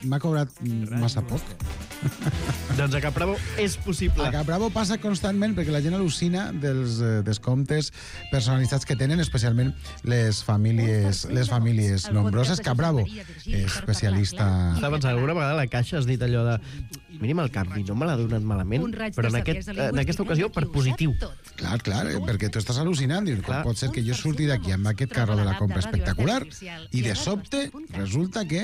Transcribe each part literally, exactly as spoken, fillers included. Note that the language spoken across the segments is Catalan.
m'ha cobrat massa poc. Doncs a Capravo és possible. A Capravo passa constantment perquè la gent al·lucina dels eh, descomptes personalitzats que tenen, especialment les famílies les famílies nombroses. Capravo, especialista... Estava pensant, alguna vegada a la caixa has dit allò de mínim el canvi, no me l'ha donat malament, però en, aquest, en aquesta ocasió per positiu. Clar, clar, eh, perquè tu estàs al·lucinant. Dius, com pot ser que jo surti d'aquí amb aquest carro de la compra espectacular i de sobte resulta que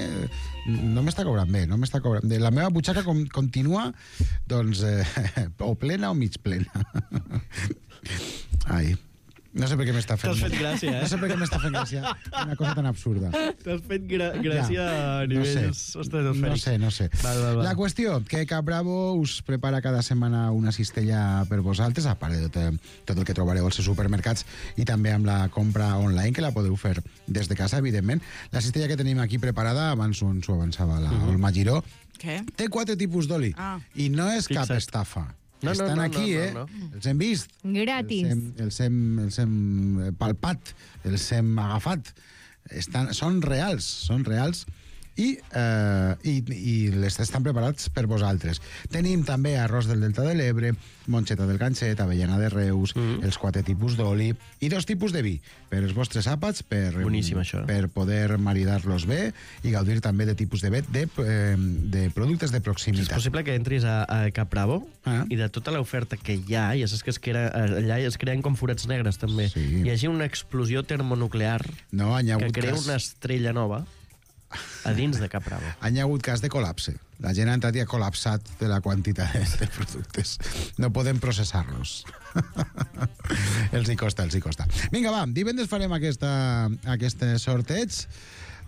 no m'està cobrant bé, no m'està cobrant bé. La meva butxaca com, continua doncs eh, o plena o mig plena. Ai, no sé per què m'està fent... T'has fet gràcia, eh? No sé per què m'està fent gràcia una cosa tan absurda. T'has fet gra gràcia ja, a nivells no sé, estratosfèrics. no sé, no sé. Val, val, val. La qüestió, que Capravo us prepara cada setmana una cistella per vosaltres, a part de tot, tot el que trobareu als seus supermercats i també amb la compra online, que la podeu fer des de casa, evidentment. La cistella que tenim aquí preparada, abans ens ho avançava la uh -huh. Olma Giró, Què? té quatre tipus d'oli Ah. i no és cap Fixa't. estafa. No, no, Estan no, aquí, no, eh? no, no. Els hem vist. Gratis. Els hem, els hem, els hem palpat, els hem agafat. Estan, són reals, són reals. I, eh, i, i les estan preparats per vosaltres. Tenim també arròs del Delta de l'Ebre, monxeta del ganxet, avellana de Reus, mm. els quatre tipus d'oli i dos tipus de vi, per els vostres àpats, per, Boníssim, això. per poder maridar-los bé i gaudir també de tipus de, de, eh, de productes de És proximitat. possible que entris a, a Capravo Ah. i de tota l'oferta que hi ha, ja saps que es crea, allà es creen com forats negres també, Sí. hi hagi una explosió termonuclear No, hi ha que hagut crea cas... una estrella nova a dins de Capravo. Hi ha hagut cas de col·lapse. La gent ha entrat i ha col·lapsat de la quantitat de productes. No podem processar-los. els hi costa, els hi costa. Vinga, va, divendres farem aquesta, aquest sorteig.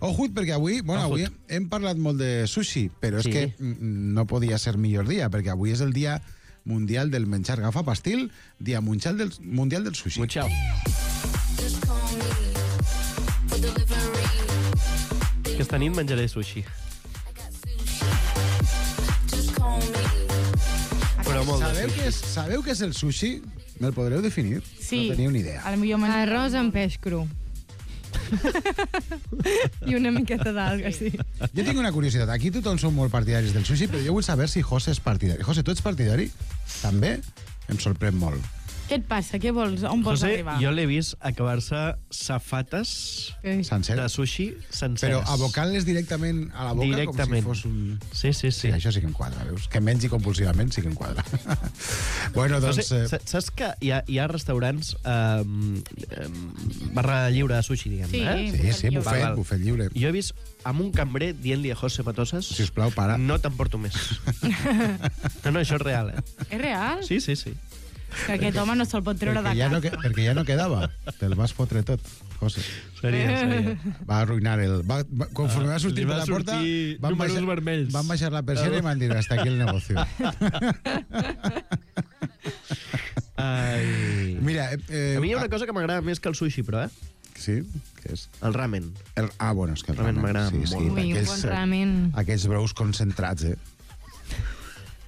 Ojut, perquè avui, bueno, avui hem parlat molt de sushi, però Sí. és que mm, no podia ser millor dia, perquè avui és el dia mundial del menjar gafapastil, dia mundial del, mundial del sushi. Muchao. Aquesta nit menjaré sushi. Però molt de Sabeu sushi. què és, sabeu què és el sushi? Me'l podreu definir? Sí. No teniu ni idea. A la millor manera... Arròs amb peix cru. I una miqueta d'alga, sí. Jo tinc una curiositat. Aquí tothom som molt partidaris del sushi, però jo vull saber si José és partidari. José, tu ets partidari? També? Em sorprèn molt. Què et passa? Què vols? On vols José, arribar? jo l'he vist acabar-se safates Eh, Sencer. de sushi senceres. Però abocant-les directament a la boca Directament. com si fos un... Sí, sí, sí. Sí, això sí que em quadra, veus? Que mengi compulsivament sí que em quadra. bueno, doncs... José, Eh, sa- saps que hi ha, hi ha restaurants eh, eh, barra lliure de sushi, diguem, Sí. eh? sí, sí, Val, bufet, val. bufet lliure. Jo he vist amb un cambrer dient-li a José Matosas Sisplau, para. no t'emporto més. no, no, això és real, eh? És real? Sí, sí, sí. Que aquest home no se'l pot treure de Perquè ja, no, casa. que- perquè ja no quedava. Te'l vas fotre tot, José. Seria, seria. Va arruïnar el... Va, va, conforme va sortir li per va la porta... sortir van números baixar, vermells. Van baixar la persiana i van dir hasta aquí el negocio. Ai. Mira... Eh, A mi hi ha una cosa que m'agrada més que el sushi, però, eh? Sí? Què és? El ramen. El, ah, bueno, és que el Ramen ramen... m'agrada sí, sí, molt. Ui, un aquells, bon ramen. Aquells brous concentrats, eh?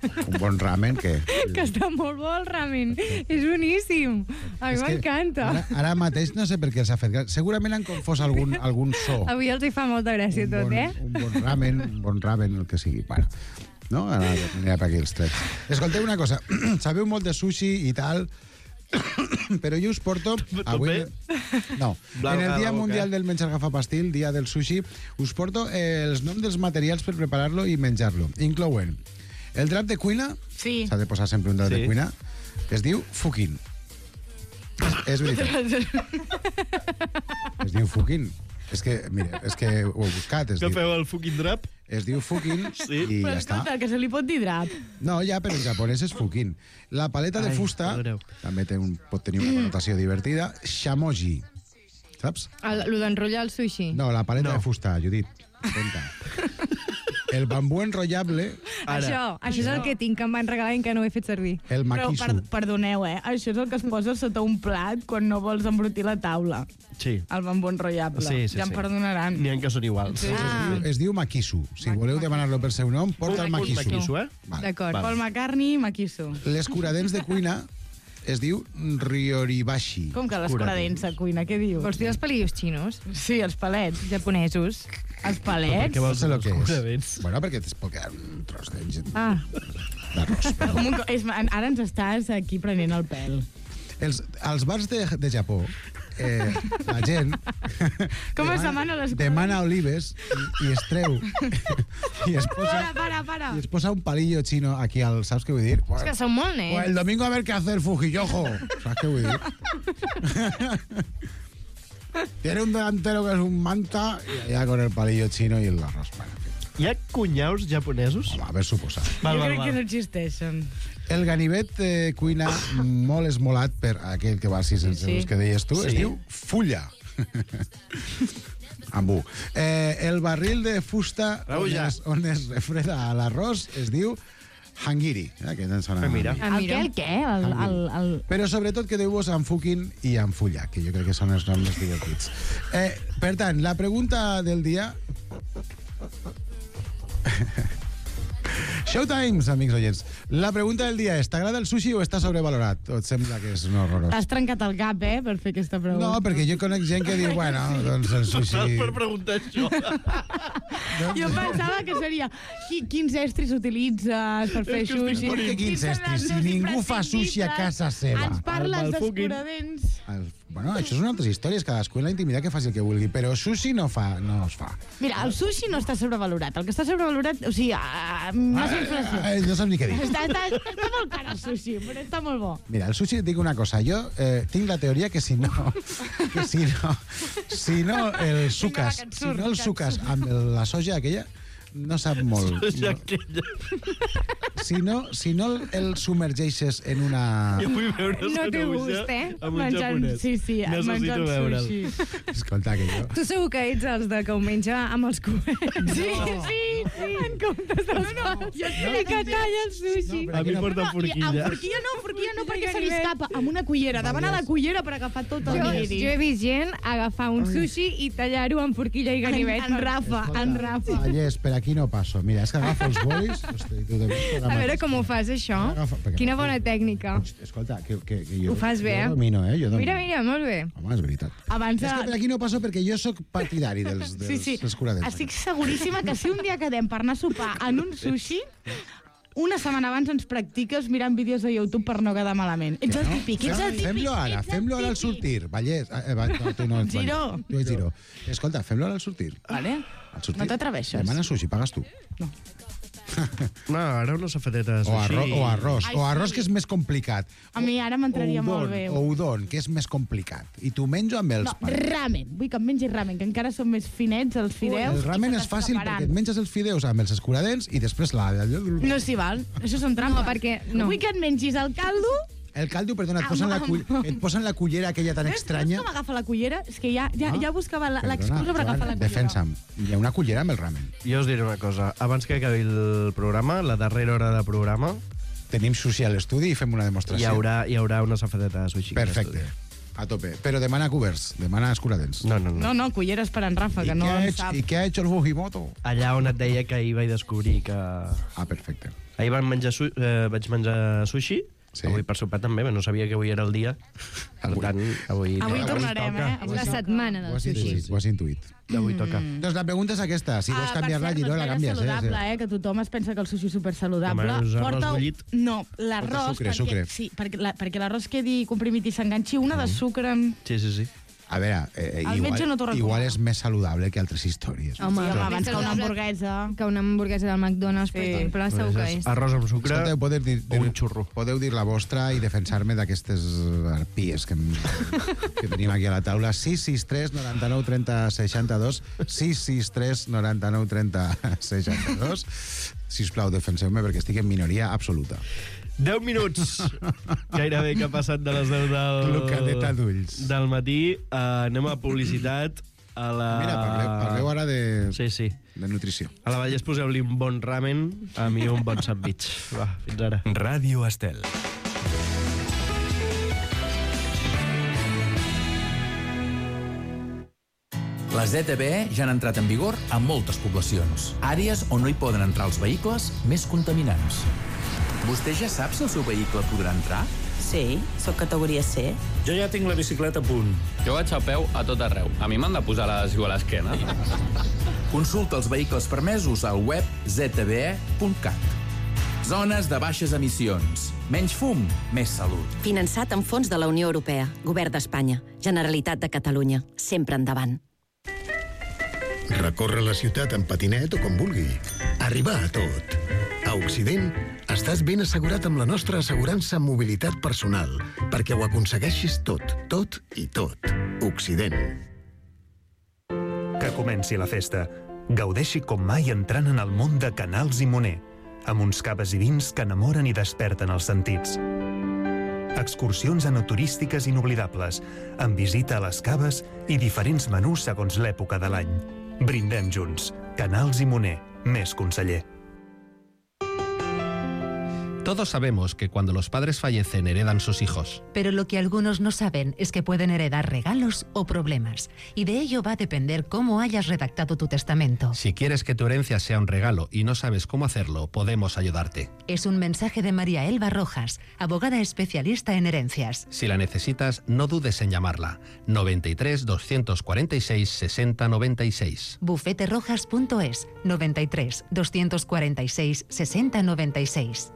Un bon ramen que... Que està molt bo el ramen. És boníssim. A mi És que m'encanta. Ara, ara mateix no sé per què els ha fet gràcia. Segurament han confós algun, algun so. Avui els hi fa molta gràcia un tot, bon, eh? Un bon ramen, un bon ramen, el que sigui. Bueno, no? Ara anirà per aquí els trets. Escolteu una cosa. Sabeu molt de sushi i tal, però jo us porto... Tot bé? No. Blanc En el a la Dia boca. Mundial del Menjar Gafapastil, dia del sushi, us porto eh, els noms dels materials per preparar-lo i menjar-lo. Inclouen el drap de cuina, Sí. s'ha de posar sempre un drap Sí. de cuina, que es diu fukin. És, és veritat. Es diu fukin. És que, mira, és que ho he buscat. Es Que diu, feu el fucking drap? es diu fukin Sí. i Però ja està. escolta, que se li pot dir drap. No, ja, però en japonès és fukin. La paleta de Ai, fusta perdoneu. també té un, pot tenir una connotació divertida. Shamoji. Saps? El, lo d'enrotllar el sushi. No, la paleta No. de fusta, Judit. Atenta. El bambú enrotllable, Ara. Això, això és el que tinc, que em van regalar i que no ho he fet servir. el Però, maquisu. per, perdoneu, eh? Això és el que es posa sota un plat quan no vols embrutir la taula. Sí. El bambú enrotllable. Sí, sí, ja em sí. perdonaran. N'hi ha que són iguals. Sí. Ah, Es diu maquisu. Si voleu demanar-lo per seu nom, porta el Un maquisu. maquisu, eh? Vale. d'acord. Val. Paul McCartney, maquiso. L'escuradents de cuina es diu Ryoribashi. Com que l'escoradents de cuina, què dius? Vols dir els palillos xinos? Sí, els palets. Japonesos. Els palets? Perquè No vols sé dir lo que és. escuradents. Bueno, perquè es pot quedar un tros de- Ah, d'arròs. però- com un, co- és, ara ens estàs aquí prenent el pèl. Els, als bars de, de Japó, eh, la gent... Com es demana les coses? Demana olives i, i es treu. I es posa... Para, para, para. Y es posa un palillo chino aquí al... ¿Sabes qué voy a decir? És que són molt Pues el nets. domingo a ver qué hacer Fujiyojo. ¿Sabes qué voy a decir? Tiene un delantero que es un manta y allá con el palillo chino y el arroz. Bueno, en fin. Hi ha cunyaus japonesos? Home, a ver suposat. Val, jo val, crec val. que no existeixen. El ganivet eh, cuina molt esmolat per aquell que va a sis cents Sí. euros que deies tu. Sí. Es diu fulla. Amb U. Eh, el barril de fusta on Raulla. es, on es refreda l'arròs es diu hangiri. Eh, que ens sona Ah, mira. a mi. Ah, El mira. què, el què? El, el, el... Però sobretot quedeu-vos amb fukin i amb fulla, que jo crec que són els noms més divertits. Eh, per tant, la pregunta del dia... Showtimes, amics oients. La pregunta del dia és, t'agrada el sushi o està sobrevalorat? O et sembla que és un horrorós? T'has trencat el cap, eh, per fer aquesta pregunta. No, perquè jo conec gent que diu, bueno, doncs el Saps sushi... per preguntar això? Jo pensava que seria qui, quins estris utilitzes per fer És que estic sushi. morint. Quins Quins són estris? els Si dos ningú fa sushi a casa seva. Ens parles El Malfukin. d'escuradents. El, bueno, això són altres històries, cadascú en la intimitat que faci el que vulgui, però sushi no fa, no es fa. Mira, el sushi no està sobrevalorat. El que està sobrevalorat, o sigui, uh, massa inflació. Eh, no saps ni què dir. Està, està, està molt car el sushi, però està molt bo. Mira, el sushi, et dic una cosa, jo eh, tinc la teoria que si no, que si no, si no el sucas, que et si surt, no el que et sucas amb el- la soja aquella, no sap molt. Ja aquella. Si no, si no el submergeixes en una... Jo vull veure No té Sanaúja gust, eh? amb un Menjant- japonès. sí, sí, Necessito menjant veure'l. sushi. Escolta, que jo... Tu segur que ets els de que ho menja amb els coets. Sí, sí, sí. En comptes dels no, no, jo I que talla el sushi. No, A mi porta I amb forquilla. forquilla no, forquilla no, perquè se li escapa amb una cullera, davant a la cullera per agafar tot el Jo, nigiri. jo he vist gent agafar un sushi i tallar-ho amb forquilla i ganivet. En, en Rafa, en Rafa. Vallès, per aquí no passo. Mira, és que agafo els bolis... Hosti, tu també, A veure com ho fas, això. Agafa, perquè Quina no- bona tècnica. Escolta, que, que, que jo... Ho fas bé, eh? Jo domino, eh? Jo domino. Mira, mira, molt bé. Home, és veritat. Abans És que per de... aquí no passo perquè jo sóc partidari dels, dels, Sí, sí. dels curadents. Estic seguríssima que si un dia quedem per anar a sopar en un sushi, una setmana abans ens practiques mirant vídeos de YouTube per no quedar malament. Ets el típic, ets el típic. Fem-lo ara, ets el fem-lo ara al típic. sortir. Vallès, eh, va, no, tu no ets Giró. Vallès. Tu ets Giró. Escolta, fem-lo ara al sortir. Vale? Al sortir. No t'atreveixes. Demana sushi, pagues tu. No, ara una safeteta de O, sushi. arro o arròs. Ai, o arròs, sí. que és més complicat. A mi ara m'entraria O molt udon, bé. O udon, que és més complicat. I t'ho menjo amb els No, pares. ramen. Vull que em mengi ramen, que encara són més finets els fideus. El ramen i és se fàcil t'escaparan. perquè et menges els fideus amb els escuradents i després la... No s'hi val. Això són trampes. No, perquè no. Vull que et mengis el caldo. El caldo, perdona, et posen, la, cull... et posen la cullera aquella tan Veus, estranya. veus com agafa la cullera? És que ja, ja, Ah. ja buscava la- Perdona, l'excusa per Joan, agafar la cullera. Defensa'm. Hi ha una cullera amb el ramen. Jo us diré una cosa. Abans que acabi el programa, la darrera hora de programa, Tenim sushi a l'estudi i fem una hi demostració. haurà, hi haurà una safeteta de sushi. Perfecte. A tope. Però demana coberts, demana escuradents. No, no, no. No, no, culleres per en Rafa, I, que no què ha en hecho, sap. I què ha hecho el Fujimoto? Allà on et deia que ahir vaig descobrir que... Ah, perfecte. Ahir vam menjar su eh, vaig menjar sushi, Sí. avui per sopar també, però no sabia que avui era el dia. Per Avui. tant, avui... Avui tornarem, toca. eh? És la setmana Ho del has sushi. intuït, ho has intuït. Avui toca. Doncs la pregunta és aquesta. Si vols Ah, canviar-la, per cert, Giró, no la és gaire canvies. saludable, Eh? eh? Que tothom es pensa que el sushi és super saludable. Home, és arròs bullit. No, l'arròs... Porta sucre, perquè, sucre. Sí, perquè, la, perquè l'arròs quedi comprimit i s'enganxi una de sucre... En... Sí, sí, sí. A veure, eh, El metge no t'ho igual, recomana. igual és més saludable que altres històries. Home, Home, sí, home, abans més que una saludable hamburguesa... Que una hamburguesa del McDonald's, per Sí. exemple, segur que és. Arròs amb sucre Escolta, podeu dir, o un xurro. podeu dir la vostra i defensar-me d'aquestes arpies que, em- que tenim aquí a la taula. sis sis tres noranta-nou trenta seixanta-dos sis sis tres noranta-nou trenta seixanta-dos. Sisplau, defenseu-me perquè estic en minoria absoluta. deu minuts gairebé que ha passat de les deu del... Clocadeta d'ulls. Del matí. Uh, anem a publicitat. A la... Mira, parleu, parleu ara de, Sí, sí. de nutrició. A la Vallès poseu-li un bon ramen, a mi un bon sandwich. Va, fins ara. Ràdio Estel. Les E T B ja han entrat en vigor a moltes poblacions. Àrees on no hi poden entrar els vehicles més contaminants. Vostè ja sap si el seu vehicle podrà entrar? Sí, sóc categoria C. Jo ja tinc la bicicleta a punt. Jo vaig a peu a tot arreu. A mi m'han de posar l'adhesiu a l'esquena. Consulta els vehicles permesos al web zet be e punt cat. Zones de baixes emissions. Menys fum, més salut. Finançat amb fons de la Unió Europea. Govern d'Espanya. Generalitat de Catalunya. Sempre endavant. Recorre la ciutat en patinet o com vulgui. Arribar a tot. A Occident, estàs ben assegurat amb la nostra assegurança en mobilitat personal, perquè ho aconsegueixis tot, tot i tot. Occident. Que comenci la festa. Gaudeixi com mai entrant en el món de Canals i Moner, amb uns caves i vins que enamoren i desperten els sentits. Excursions enoturístiques inoblidables, amb visita a les caves i diferents menús segons l'època de l'any. Brindem junts. Canals i Moner. Més conseller. Todos sabemos que cuando los padres fallecen heredan sus hijos. Pero lo que algunos no saben es que pueden heredar regalos o problemas. Y de ello va a depender cómo hayas redactado tu testamento. Si quieres que tu herencia sea un regalo y no sabes cómo hacerlo, podemos ayudarte. Es un mensaje de María Elba Rojas, abogada especialista en herencias. Si la necesitas, no dudes en llamarla. noventa y tres, doscientos cuarenta y seis, sesenta noventa y seis. bufete rojas punto es, noventa y tres, doscientos cuarenta y seis, sesenta noventa y seis.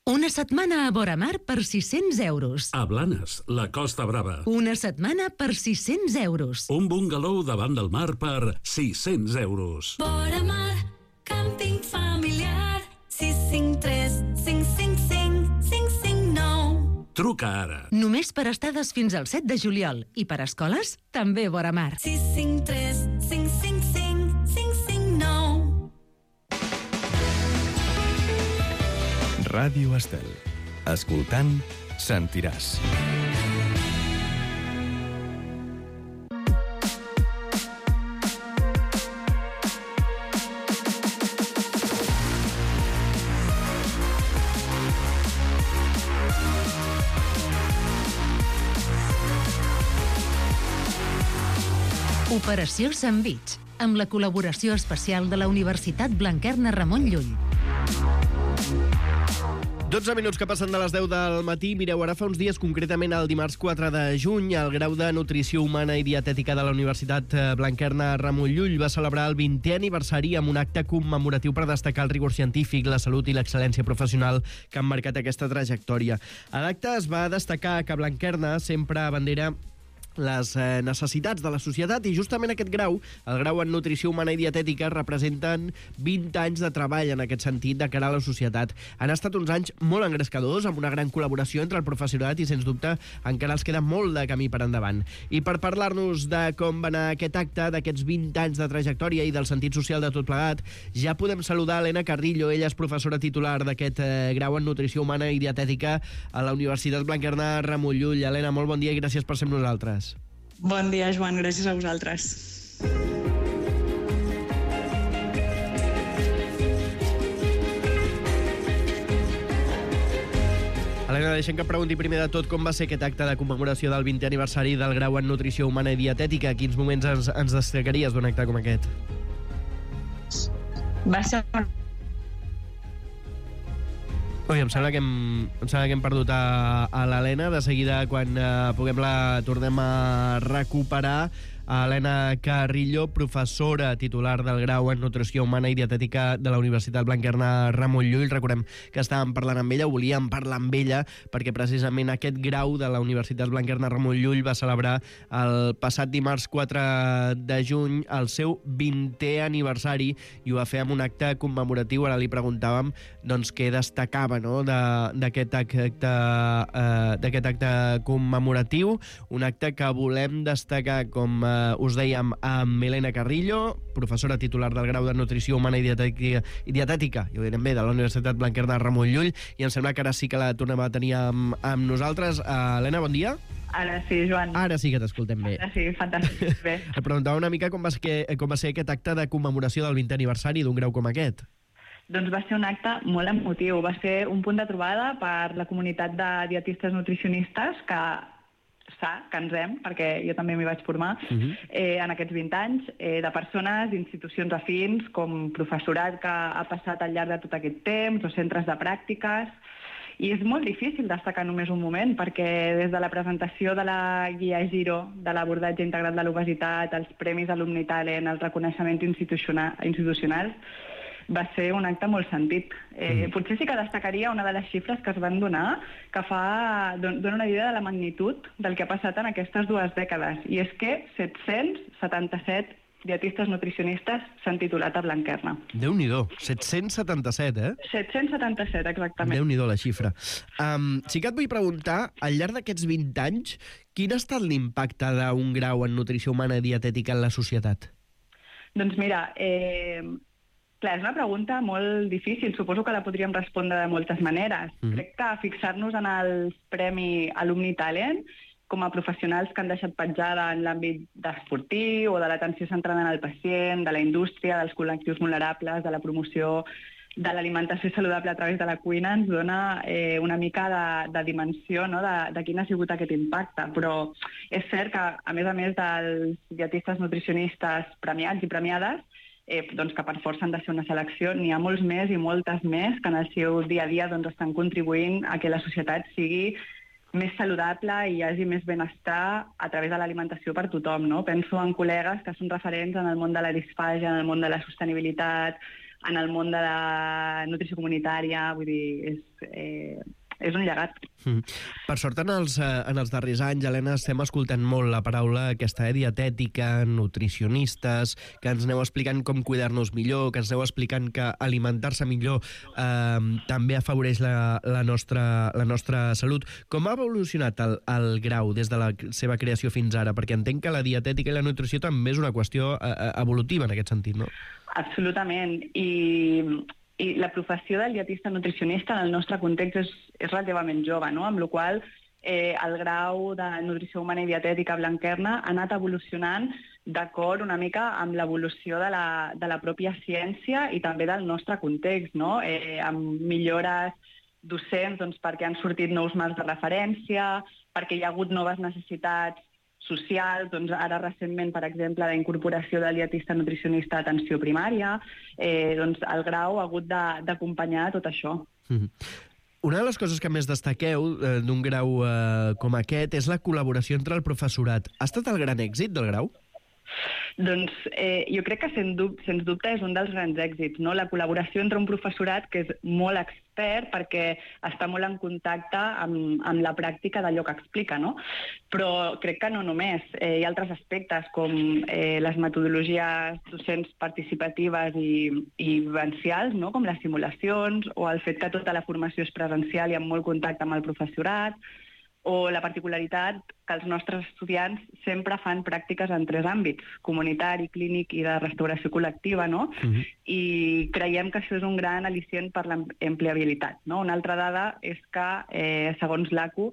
Una setmana a Boramar per sis-cents euros. A Blanes, la Costa Brava. Una setmana per sis-cents euros. Un bungalow davant del mar per sis-cents euros. Boramar, càmping familiar, sis cinc tres, cinc cinc cinc, cinc cinc nou. Truca ara. Només per estades fins al set de juliol. I per escoles, també Boramar. sis cinc tres, cinc cinc cinc, cinc cinc nou. Ràdio Estel. Escoltant, sentiràs. Operació Sandvich, amb la col·laboració especial de la Universitat Blanquerna Ramon Llull. dotze minuts que passen de les deu del matí. Mireu, ara fa uns dies, concretament el dimarts quatre de juny, el grau de Nutrició Humana i Dietètica de la Universitat Blanquerna Ramon Llull va celebrar el vintè aniversari amb un acte commemoratiu per destacar el rigor científic, la salut i l'excel·lència professional que han marcat aquesta trajectòria. A l'acte es va destacar que Blanquerna sempre abandera les eh, necessitats de la societat i justament aquest grau, el grau en Nutrició Humana i Dietètica, representen vint anys de treball en aquest sentit de cara a la societat. Han estat uns anys molt engrescadors, amb una gran col·laboració entre el professorat i, sens dubte, encara els queda molt de camí per endavant. I per parlar-nos de com va anar aquest acte, d'aquests vint anys de trajectòria i del sentit social de tot plegat, ja podem saludar Helena Carrillo. Ella és professora titular d'aquest eh, grau en Nutrició Humana i Dietètica a la Universitat Blanquerna Ramon Llull. Helena, molt bon dia i gràcies per ser amb nosaltres. Bon dia, Joan. Gràcies a vosaltres. Helena, deixem que pregunti primer de tot com va ser aquest acte de commemoració del vintè aniversari del grau en Nutrició Humana i Dietètica. Quins moments ens, ens destacaries d'un acte com aquest? Va ser... Ui, em sembla que hem, em sembla que hem perdut a, a l'Helena. De seguida, quan uh, puguem la tornem a recuperar. A Helena Carrillo, professora titular del grau en Nutrició Humana i Dietètica de la Universitat Blanquerna Ramon Llull. Recordem que estàvem parlant amb ella, volíem parlar amb ella, perquè precisament aquest grau de la Universitat Blanquerna Ramon Llull va celebrar el passat dimarts quatre de juny el seu vintè aniversari i ho va fer amb un acte commemoratiu. Ara li preguntàvem doncs, què destacava, no?, d'aquest acte, uh, d'aquest acte commemoratiu, un acte que volem destacar, com uh, us dèiem, amb Helena Carrillo, professora titular del grau de Nutrició Humana i Dietètica, i dietètica i ho direm bé, de la Universitat Blanquerna Ramon Llull, i em sembla que ara sí que la tornem a tenir amb, amb nosaltres. Uh, Helena, bon dia. Ara sí, Joan. Ara sí que t'escoltem bé. Ara sí, fantàstic. Bé. Et preguntava una mica com va, ser, com va ser aquest acte de commemoració del vintè aniversari d'un grau com aquest. Doncs va ser un acte molt emotiu. Va ser un punt de trobada per la comunitat de dietistes nutricionistes que sa, que ens hem, perquè jo també m'hi vaig formar, uh-huh. eh, en aquests vint anys, eh, de persones, institucions afins, com professorat que ha passat al llarg de tot aquest temps, o centres de pràctiques, i és molt difícil destacar només un moment, perquè des de la presentació de la guia Giro, de l'abordatge integral de l'obesitat, els premis Alumni Talent, el reconeixement institucional, institucionals, va ser un acte molt sentit. Eh, mm. Potser sí que destacaria una de les xifres que es van donar, que fa, dona una idea de la magnitud del que ha passat en aquestes dues dècades, i és que set-cents setanta-set dietistes nutricionistes s'han titulat a Blanquerna. Déu-n'hi-do, set-cents setanta-set, eh? set-cents setanta-set, exactament. Déu-n'hi-do la xifra. Um, sí que et vull preguntar, al llarg d'aquests vint anys, quin ha estat l'impacte d'un grau en nutrició humana i dietètica en la societat? Doncs mira, eh, clar, és una pregunta molt difícil. Suposo que la podríem respondre de moltes maneres. Mm. Crec que fixar-nos en el Premi Alumni Talent com a professionals que han deixat petjada en l'àmbit esportiu o de l'atenció centrada en el pacient, de la indústria, dels col·lectius vulnerables, de la promoció de l'alimentació saludable a través de la cuina, ens dona eh, una mica de, de dimensió, no?, de, de quin ha sigut aquest impacte. Però és cert que, a més a més dels dietistes nutricionistes premiats i premiades, eh, doncs que per força han de ser una selecció, n'hi ha molts més i moltes més que en el seu dia a dia doncs, estan contribuint a que la societat sigui més saludable i hi hagi més benestar a través de l'alimentació per tothom, no? Penso en col·legues que són referents en el món de la disfàgia, en el món de la sostenibilitat, en el món de la nutrició comunitària, vull dir, és, eh, és un llegat. Mm. Per sort, en els, en els darrers anys, Helena, estem escoltant molt la paraula aquesta eh, dietètica, nutricionistes, que ens aneu explicant com cuidar-nos millor, que ens aneu explicant que alimentar-se millor eh, també afavoreix la, la, nostra, la nostra salut. Com ha evolucionat el, el grau des de la seva creació fins ara? Perquè entenc que la dietètica i la nutrició també és una qüestió eh, evolutiva en aquest sentit, no? Absolutament. I... I la professió del dietista nutricionista en el nostre context és, és relativament jove, no? Amb la qual cosa eh, el grau de nutrició humana i dietètica a Blanquerna ha anat evolucionant d'acord una mica amb l'evolució de, la, de la pròpia ciència i també del nostre context, no? Eh, amb millores docents doncs, perquè han sortit nous marcs de referència, perquè hi ha hagut noves necessitats social, doncs ara recentment, per exemple, la incorporació del dietista nutricionista a atenció primària, eh, doncs el grau ha hagut d'acompanyar tot això. Mm-hmm. Una de les coses que més destaqueu eh, d'un grau eh, com aquest és la col·laboració entre el professorat. Ha estat el gran èxit del grau? Doncs eh, jo crec que sens dubte, sens dubte és un dels grans èxits, no? La col·laboració entre un professorat que és molt expert perquè està molt en contacte amb, amb la pràctica d'allò que explica, no? Però crec que no només. Eh, hi ha altres aspectes com eh, les metodologies docents participatives i, i vivencials, no? Com les simulacions o el fet que tota la formació és presencial i amb molt contacte amb el professorat, o la particularitat que els nostres estudiants sempre fan pràctiques en tres àmbits, comunitari, clínic i de restauració col·lectiva, no? Uh-huh. I creiem que això és un gran al·licient per l'empleabilitat, no? Una altra dada és que, eh, segons l'A C U,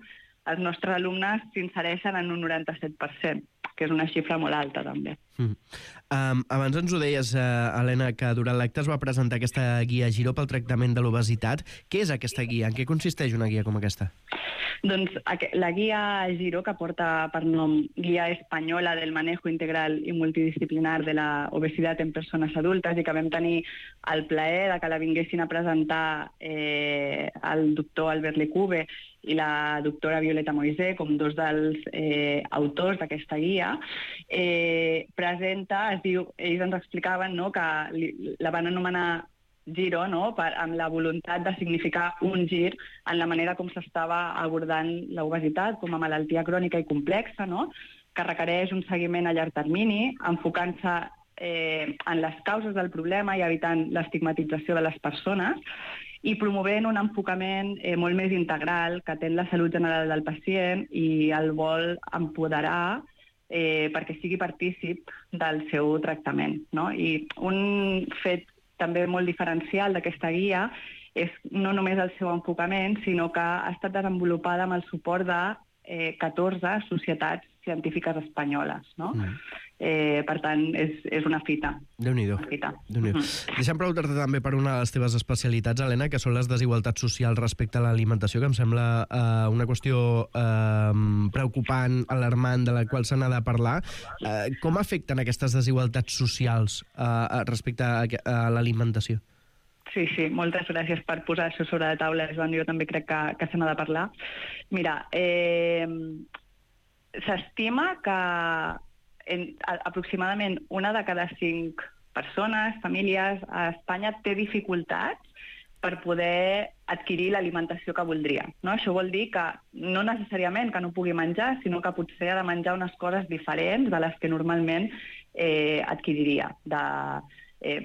els nostres alumnes s'insereixen en un noranta-set per cent, que és una xifra molt alta, també. Mm. Um, abans ens ho deies, uh, Helena, que durant l'acte es va presentar aquesta guia Giro pel tractament de l'obesitat. Què és aquesta guia? En què consisteix una guia com aquesta? Doncs la guia Giro, que porta per nom Guia Espanyola del Manejo Integral i Multidisciplinar de la Obesidad en Persones Adultes, i que vam tenir el plaer de que la vinguessin a presentar eh, el doctor Albert Lecube i la doctora Violeta Moisé, com dos dels eh, autors d'aquesta guia, eh, presenta, es diu, ells ens explicaven, no, que li, la van anomenar Giro, no?, per, amb la voluntat de significar un gir en la manera com s'estava abordant l'obesitat com a malaltia crònica i complexa, no?, que requereix un seguiment a llarg termini, enfocant-se eh, en les causes del problema i evitant l'estigmatització de les persones, i promovent un enfocament eh, molt més integral que atén la salut general del pacient i el vol empoderar eh, perquè sigui partícip del seu tractament, no? I un fet també molt diferencial d'aquesta guia és no només el seu enfocament, sinó que ha estat desenvolupada amb el suport de eh, catorze societats científiques espanyoles, no? Mm. Eh, per tant, és, és una fita. Déu-n'hi-do. Una fita. Déu-n'hi-do. Mhm. Deixa'm preguntar-te també per una de les teves especialitats, Helena, que són les desigualtats socials respecte a l'alimentació, que em sembla eh, una qüestió eh, preocupant, alarmant, de la qual se n'ha de parlar. Eh, com afecten aquestes desigualtats socials eh, respecte a, a l'alimentació? Sí, sí, moltes gràcies per posar això sobre la taula, Joan. Jo també crec que, que se n'ha de parlar. Mira, eh, s'estima que en, a, aproximadament una de cada cinc persones, famílies a Espanya té dificultats per poder adquirir l'alimentació que voldria. No? Això vol dir que no necessàriament que no pugui menjar, sinó que potser ha de menjar unes coses diferents de les que normalment eh, adquiriria, de eh,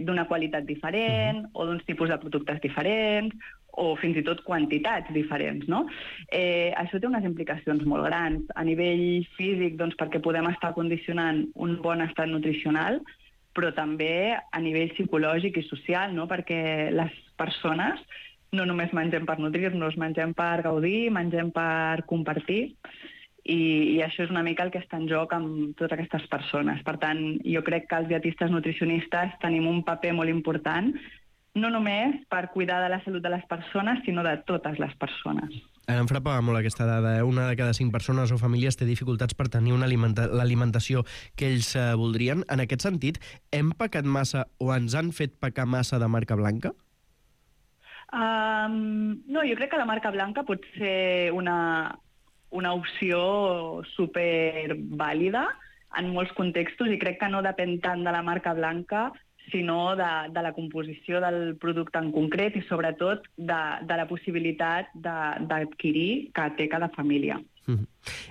d'una qualitat diferent, o d'uns tipus de productes diferents, o fins i tot quantitats diferents, no? Eh, això té unes implicacions molt grans. A nivell físic, doncs, perquè podem estar condicionant un bon estat nutricional, però també a nivell psicològic i social, no? Perquè les persones no només mengem per nutrir-nos, mengem per gaudir, mengem per compartir, i, i això és una mica el que està en joc amb totes aquestes persones. Per tant, jo crec que els dietistes nutricionistes tenim un paper molt important, no només per cuidar de la salut de les persones, sinó de totes les persones. Em frapava molt aquesta dada, eh? Una de cada cinc persones o famílies té dificultats per tenir una alimenta l'alimentació que ells eh, voldrien. En aquest sentit, hem pecat massa o ens han fet pecar massa de marca blanca? Um, no, jo crec que la marca blanca pot ser una, una opció supervàlida en molts contextos, i crec que no depèn tant de la marca blanca, sinó de, de la composició del producte en concret i, sobretot, de, de la possibilitat d'adquirir que té cada família. Mm.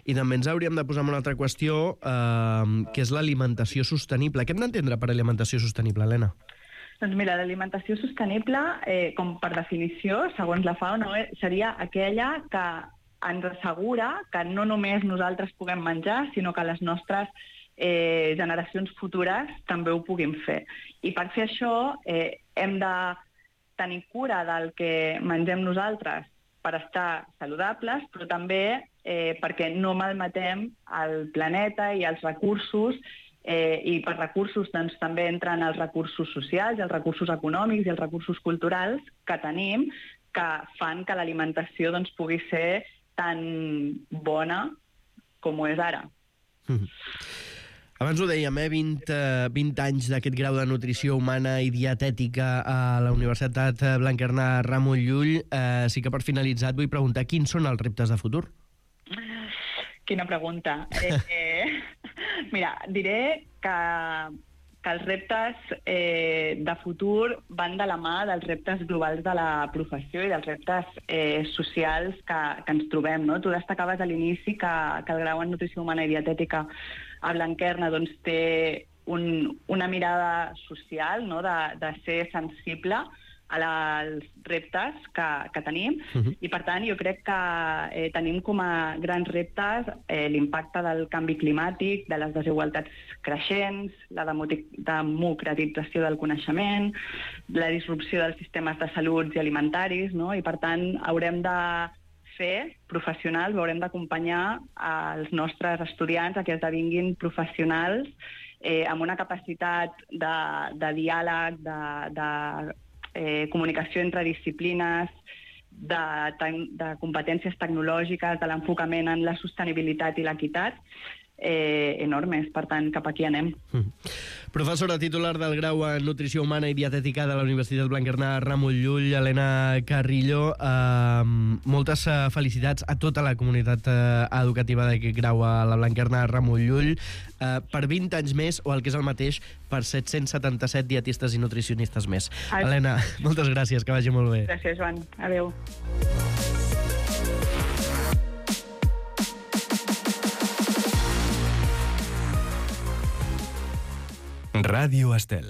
I també ens hauríem de posar en una altra qüestió, eh, que és l'alimentació sostenible. Què hem d'entendre per alimentació sostenible, Helena? Doncs mira, l'alimentació sostenible, eh, com per definició, segons la FAO, no, seria aquella que ens assegura que no només nosaltres puguem menjar, sinó que les nostres Eh, generacions futures també ho puguin fer. I per fer això eh, hem de tenir cura del que mengem nosaltres per estar saludables, però també eh, perquè no malmetem el planeta i els recursos, eh, i per recursos doncs, també entren els recursos socials, els recursos econòmics i els recursos culturals que tenim, que fan que l'alimentació doncs, pugui ser tan bona com ho és ara. Mm. Abans ho dèiem, eh? vint, eh, vint anys d'aquest grau de nutrició humana i dietètica a la Universitat Blanquerna Ramon Llull. Eh, sí que per finalitzar et vull preguntar quins són els reptes de futur? Quina pregunta. Eh, eh, mira, diré que, que els reptes eh, de futur van de la mà dels reptes globals de la professió i dels reptes eh, socials que, que ens trobem. No? Tu destacaves a l'inici que, que el grau en nutrició humana i dietètica a Blanquerna doncs, té un, una mirada social, no? de, de ser sensible a la, als reptes que, que tenim, uh-huh. i per tant jo crec que eh, tenim com a grans reptes eh, l'impacte del canvi climàtic, de les desigualtats creixents, la democratització del coneixement, la disrupció dels sistemes de salut i alimentaris, no? I per tant haurem de fer professionals, haurem d'acompanyar els nostres estudiants a que esdevinguin professionals eh, amb una capacitat de, de diàleg, de, de eh, comunicació entre disciplines, de, de competències tecnològiques, de l'enfocament en la sostenibilitat i l'equitat, eh, enormes. Per tant, cap aquí anem. Mm. Professora titular del grau en Nutrició Humana i Dietètica de la Universitat Blanquerna Ramon Llull, Helena Carrillo, eh, moltes eh, felicitats a tota la comunitat eh, educativa d'aquest grau a la Blanquerna Ramon Llull, eh, per vint anys més, o el que és el mateix, per set-cents setanta-set dietistes i nutricionistes més. Ai. Helena, moltes gràcies, que vagi molt bé. Gràcies, Joan. Adéu. Ràdio Estel.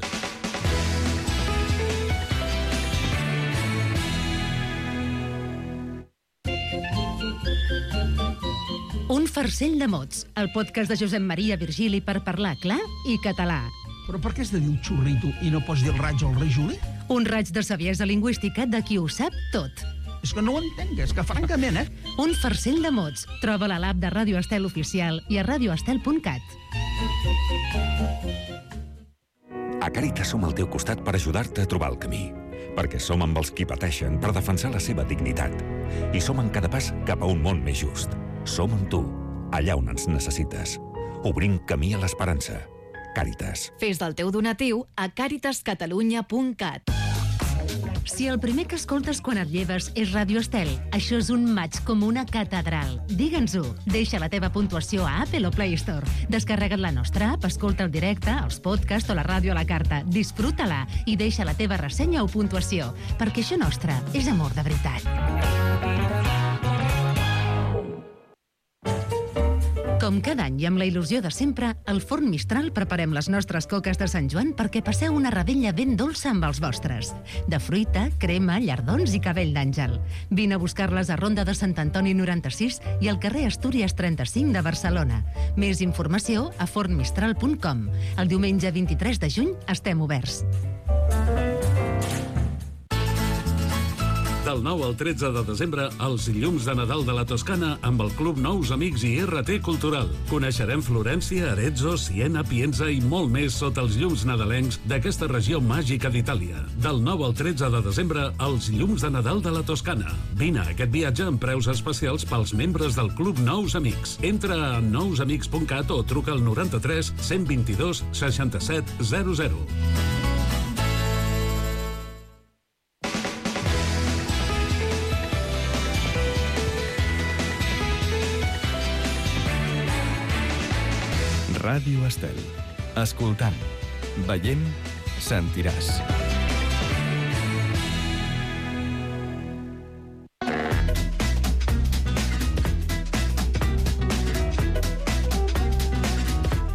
Un farcell de mots, el podcast de Josep Maria Virgili per parlar clar i català. Però per què has de dir un xurrito i no pots dir el raig o el rei Juli? Un raig de saviesa lingüística de qui ho sap tot. És que no ho entenc, és que francament, eh? Un farcell de mots. Troba-la a l'app de Ràdio Estel Oficial i a radioestel punt cat. A Càritas som al teu costat per ajudar-te a trobar el camí. Perquè som amb els qui pateixen per defensar la seva dignitat. I som en cada pas cap a un món més just. Som amb tu, allà on ens necessites. Obrim camí a l'esperança. Càritas. Fes del teu donatiu a càritas catalunya punt cat. Si el primer que escoltes quan et lleves és Ràdio Estel, això és un maig com una catedral. Digue'ns-ho. Deixa la teva puntuació a Apple o Play Store. Descarrega't la nostra app, escolta el directe, els podcasts o la ràdio a la carta. Disfruta-la i deixa la teva ressenya o puntuació, perquè això nostre és amor de veritat. Com cada any i amb la il·lusió de sempre, al Forn Mistral preparem les nostres coques de Sant Joan perquè passeu una revetlla ben dolça amb els vostres. De fruita, crema, llardons i cabell d'àngel. Vine a buscar-les a Ronda de Sant Antoni noranta-sis i al carrer Astúries trenta-cinc de Barcelona. Més informació a forn mistral punt com. El diumenge vint-i-tres de juny estem oberts. Del nou al tretze de desembre, els llums de Nadal de la Toscana amb el Club Nous Amics i R T Cultural. Coneixerem Florència, Arezzo, Siena, Pienza i molt més sota els llums nadalencs d'aquesta regió màgica d'Itàlia. Del nou al tretze de desembre, els llums de Nadal de la Toscana. Vine a aquest viatge amb preus especials pels membres del Club Nous Amics. Entra a nous amics punt cat o truca al noranta-tres cent vint-i-dos seixanta-set zero zero. Ràdio Estel. Escoltant, veient, sentiràs.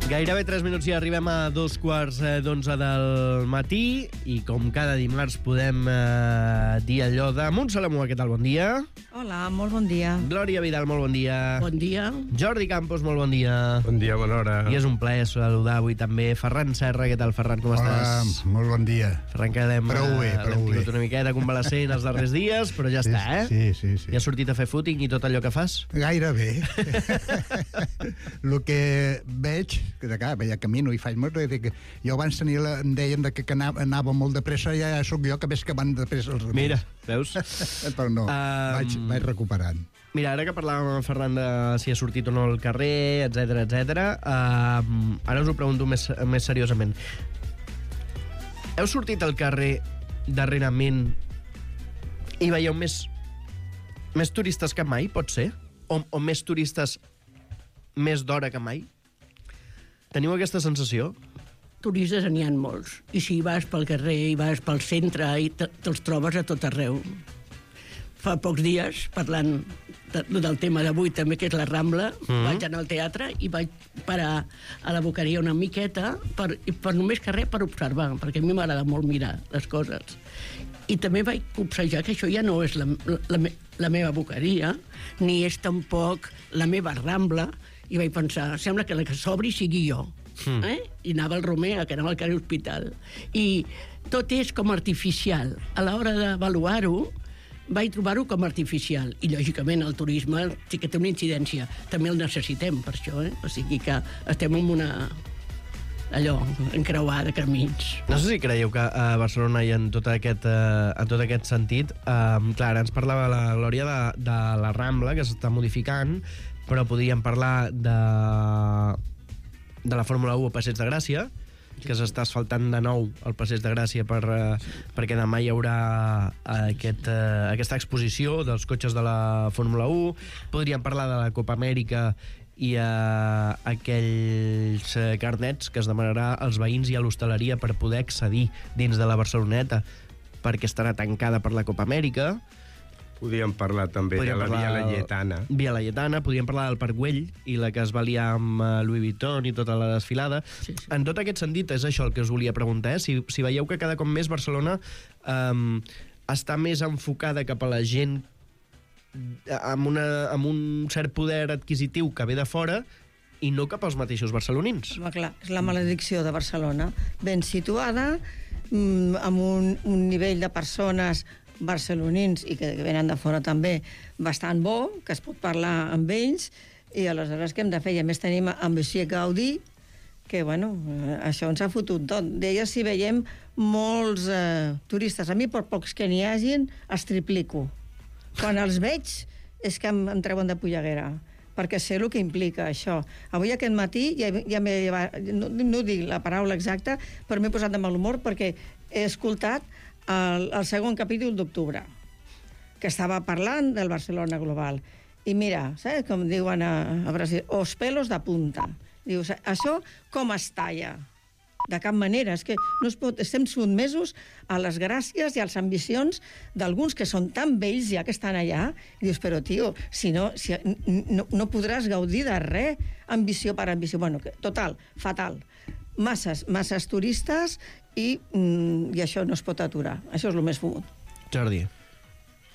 Gairebé tres minuts i arribem a dos quarts d'onze del matí i com cada dimarts podem eh, dir allò de Montse Lamua, què tal? Bon dia. Hola, molt bon dia. Glòria Vidal, molt bon dia. Bon dia. Jordi Campos, molt bon dia. Bon dia, bona hora. I és un plaer saludar avui també Ferran Serra. Què tal, Ferran, com Hola, estàs? molt bon dia. Ferran, que l'hem Prou bé, prou l'hem bé. tingut una miqueta convalescent els darrers dies, però ja Sí, està, eh? sí, sí, sí. Ja has sortit a fer footing i tot allò que fas? Gairebé. El que veig, que de cara, veia camino i faig molt, que jo abans tenia la, em deien de que, que anava, anava molt de pressa, ja sóc jo que veig que van de pressa els altres. Mira, veus? Però no, Um, vaig, vaig recuperant. Mira, ara que parlàvem amb en Ferran de si ha sortit o no al carrer, etc etc. Uh, ara us ho pregunto més, més seriosament. Heu sortit al carrer darrerament i veieu més, més turistes que mai, pot ser? O, o més turistes més d'hora que mai? Teniu aquesta sensació? Turistes n'hi ha molts. I si vas pel carrer i vas pel centre, i te- te'ls trobes a tot arreu. Fa pocs dies, parlant de, del tema d'avui també, que és la Rambla, Mhm. vaig anar al teatre i vaig parar a la boqueria una miqueta per, i per només que res per observar, perquè a mi m'agrada molt mirar les coses. I també vaig observar que això ja no és la, la, la, me- la meva boqueria, ni és tampoc la meva Rambla, i vaig pensar, sembla que la que s'obri sigui jo. Mm. Eh? I anava al Romer, que anava al carrer Hospital. I tot és com artificial. A l'hora d'avaluar-ho, vaig trobar-ho com artificial. I, lògicament, el turisme sí que té una incidència. També el necessitem, per això, eh? O sigui que estem en una... allò, encreuada de camins. No sé si creieu que a Barcelona i en tot aquest, eh, en tot aquest sentit, eh, clar, ens parlava la Glòria de, de la Rambla, que s'està modificant, però podríem parlar de, de la Fórmula u a Passeig de Gràcia, que s'està asfaltant de nou el Passeig de Gràcia per, eh, perquè demà hi haurà aquest, eh, aquesta exposició dels cotxes de la Fórmula u. Podríem parlar de la Copa Amèrica i eh, aquells eh, carnets que es demanarà als veïns i a l'hostaleria per poder accedir dins de la Barceloneta, perquè estarà tancada per la Copa Amèrica. Podríem parlar també Podríem de la parlar Via del- Laietana. Via Laietana, podríem parlar del Parc Güell i la que es va liar amb eh, Louis Vuitton i tota la desfilada. Sí, sí. En tot aquest sentit, és això el que us volia preguntar, eh? si, si veieu que cada cop més Barcelona eh, està més enfocada cap a la gent amb, una, amb un cert poder adquisitiu que ve de fora i no cap als mateixos barcelonins. Home, clar, és la maledicció de Barcelona. Ben situada, mm, amb un, un nivell de persones barcelonins i que venen de fora també bastant bo, que es pot parlar amb ells, i aleshores què hem de fer? I a més tenim amb Monsieur Gaudí, que, bueno, això ens ha fotut tot. Deia si veiem molts eh, turistes. A mi, per pocs que n'hi hagin, els triplico. Quan els veig, és que em, em treuen de polleguera, perquè sé el que implica això. Avui, aquest matí, ja, ja m'he llevat, no, no dic la paraula exacta, però m'he posat de mal humor perquè he escoltat el, el segon capítol d'Octubre, que estava parlant del Barcelona Global. I mira, saps com diuen a, a Brasil? Os pelos de punta. Dius, això com es talla? De cap manera. És que no es pot, estem sotmesos a les gràcies i a les ambicions d'alguns que són tan vells ja que estan allà. I dius, però, tio, si no, si, no, no podràs gaudir de res, ambició per ambició. Bueno, que, total, fatal. Masses, masses turistes i, mm, i això no es pot aturar. Això és el més fumut. Jordi.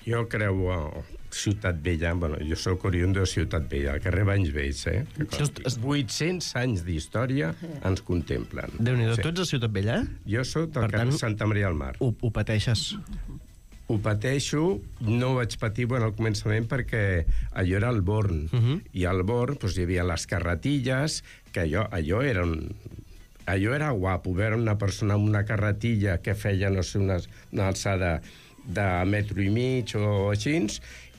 Jo creu a Ciutat Vella, bueno, jo soc oriundo de Ciutat Vella, al carrer Banys Vells, eh? vuit-cents anys d'història ens contemplen. Déu-n'hi-do, sí. Tu ets a Ciutat Vella? Jo soc del carrer Santa Maria del Mar. Ho, ho pateixes? Ho pateixo, no ho vaig patir bueno, al començament perquè allò era el Born, uh -huh. i al Born doncs, hi havia les carretilles, que allò, allò era un... Allò era guapo, veure una persona amb una carretilla que feia, no sé, una, una alçada de metro i mig o així,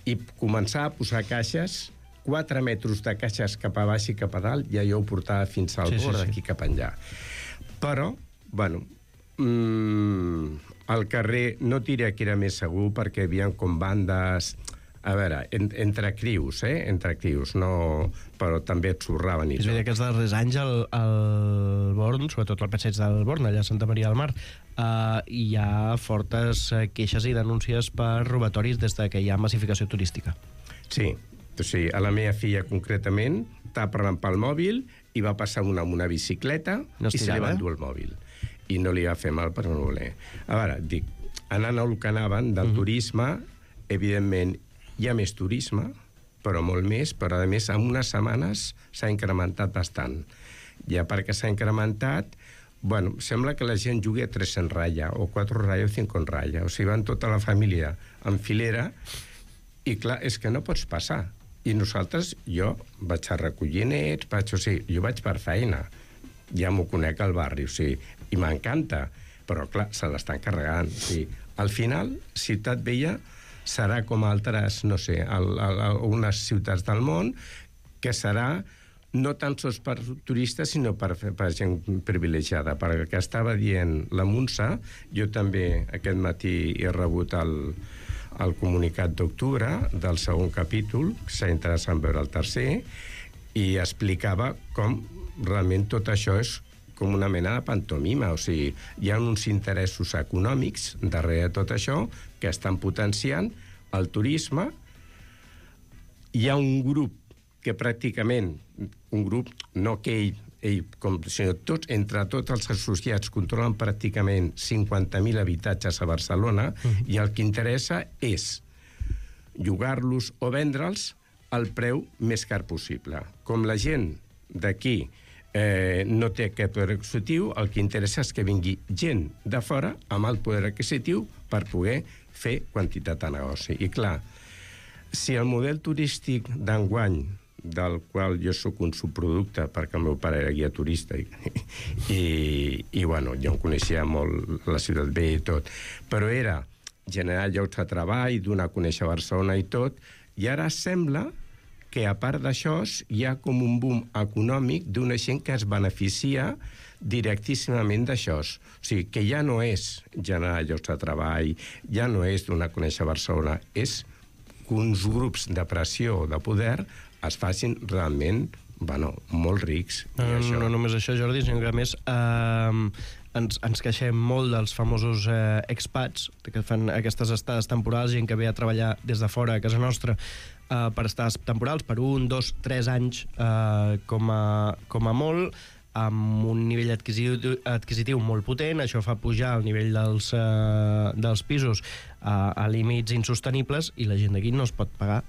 i començar a posar caixes, quatre metres de caixes cap a baix i cap a dalt, i allò ho portava fins al sí, bord, sí, sí. Aquí cap enllà. Però, bueno, mmm, al carrer no diré que era més segur, perquè hi havia com bandes... A veure, en, entre crius, eh? Entre crius, no... Però també et sorraven i tot. És veritat que els darrers anys al, al Born, sobretot al passeig del Born, allà a Santa Maria del Mar, eh, hi ha fortes queixes i denúncies per robatoris des de que hi ha massificació turística. Sí, o sigui, a la meva filla concretament estava parlant pel mòbil i va passar una amb una bicicleta no i se li va endur el mòbil. I no li va fer mal per no voler. A veure, dic, anant al que anaven del uh-huh. turisme, evidentment, hi ha més turisme, però molt més, però a més en unes setmanes s'ha incrementat bastant. Ja perquè s'ha incrementat, bueno, sembla que la gent jugui a tres en ratlla, o quatre en ratlla o cinc en ratlla, o sigui, van tota la família en filera, i clar, és que no pots passar. I nosaltres, jo vaig a recollir nets, vaig, o sigui, jo vaig per feina, ja m'ho conec al barri, o sigui, i m'encanta, però clar, se l'estan carregant. O sigui, al final, Ciutat Vella serà com altres, no sé, algunes ciutats del món, que serà no tan sols per turistes, sinó per, per gent privilegiada. Perquè estava dient la Montse, jo també aquest matí he rebut el, el comunicat d'octubre del segon capítol, que s'ha interessat en veure el tercer, i explicava com realment tot això és com una mena de pantomima, o sigui, hi ha uns interessos econòmics darrere de tot això que estan potenciant el turisme. Hi ha un grup que pràcticament, un grup, no que ell, ell com, sinó tots, entre tots els associats controlen pràcticament cinquanta mil habitatges a Barcelona, uh-huh. i el que interessa és llogar-los o vendre'ls al preu més car possible. Com la gent d'aquí Eh, no té aquest poder adquisitiu, el que interessa és que vingui gent de fora amb el poder adquisitiu per poder fer quantitat de negoci. I clar, si el model turístic d'enguany, del qual jo sóc un subproducte, perquè el meu pare era guia turista i, i, i bueno, jo em coneixia molt la Ciutat Vella i tot, però era generar llocs de treball, donar a conèixer Barcelona i tot, i ara sembla que a part d'això hi ha com un boom econòmic d'una gent que es beneficia directíssimament d'això. O sigui, que ja no és generar llocs de treball, ja no és donar a conèixer Barcelona, és que uns grups de pressió o de poder es facin realment, bueno, molt rics. No, no, això... no només això, Jordi, sinó que a més eh, ens, ens queixem molt dels famosos eh, expats, que fan aquestes estades temporals, gent que ve a treballar des de fora a casa nostra, Uh, per estades temporals, per un, dos, tres anys uh, com, a, com a molt, amb un nivell adquisitiu, adquisitiu molt potent. Això fa pujar el nivell dels, uh, dels pisos uh, a límits insostenibles, i la gent d'aquí no es pot pagar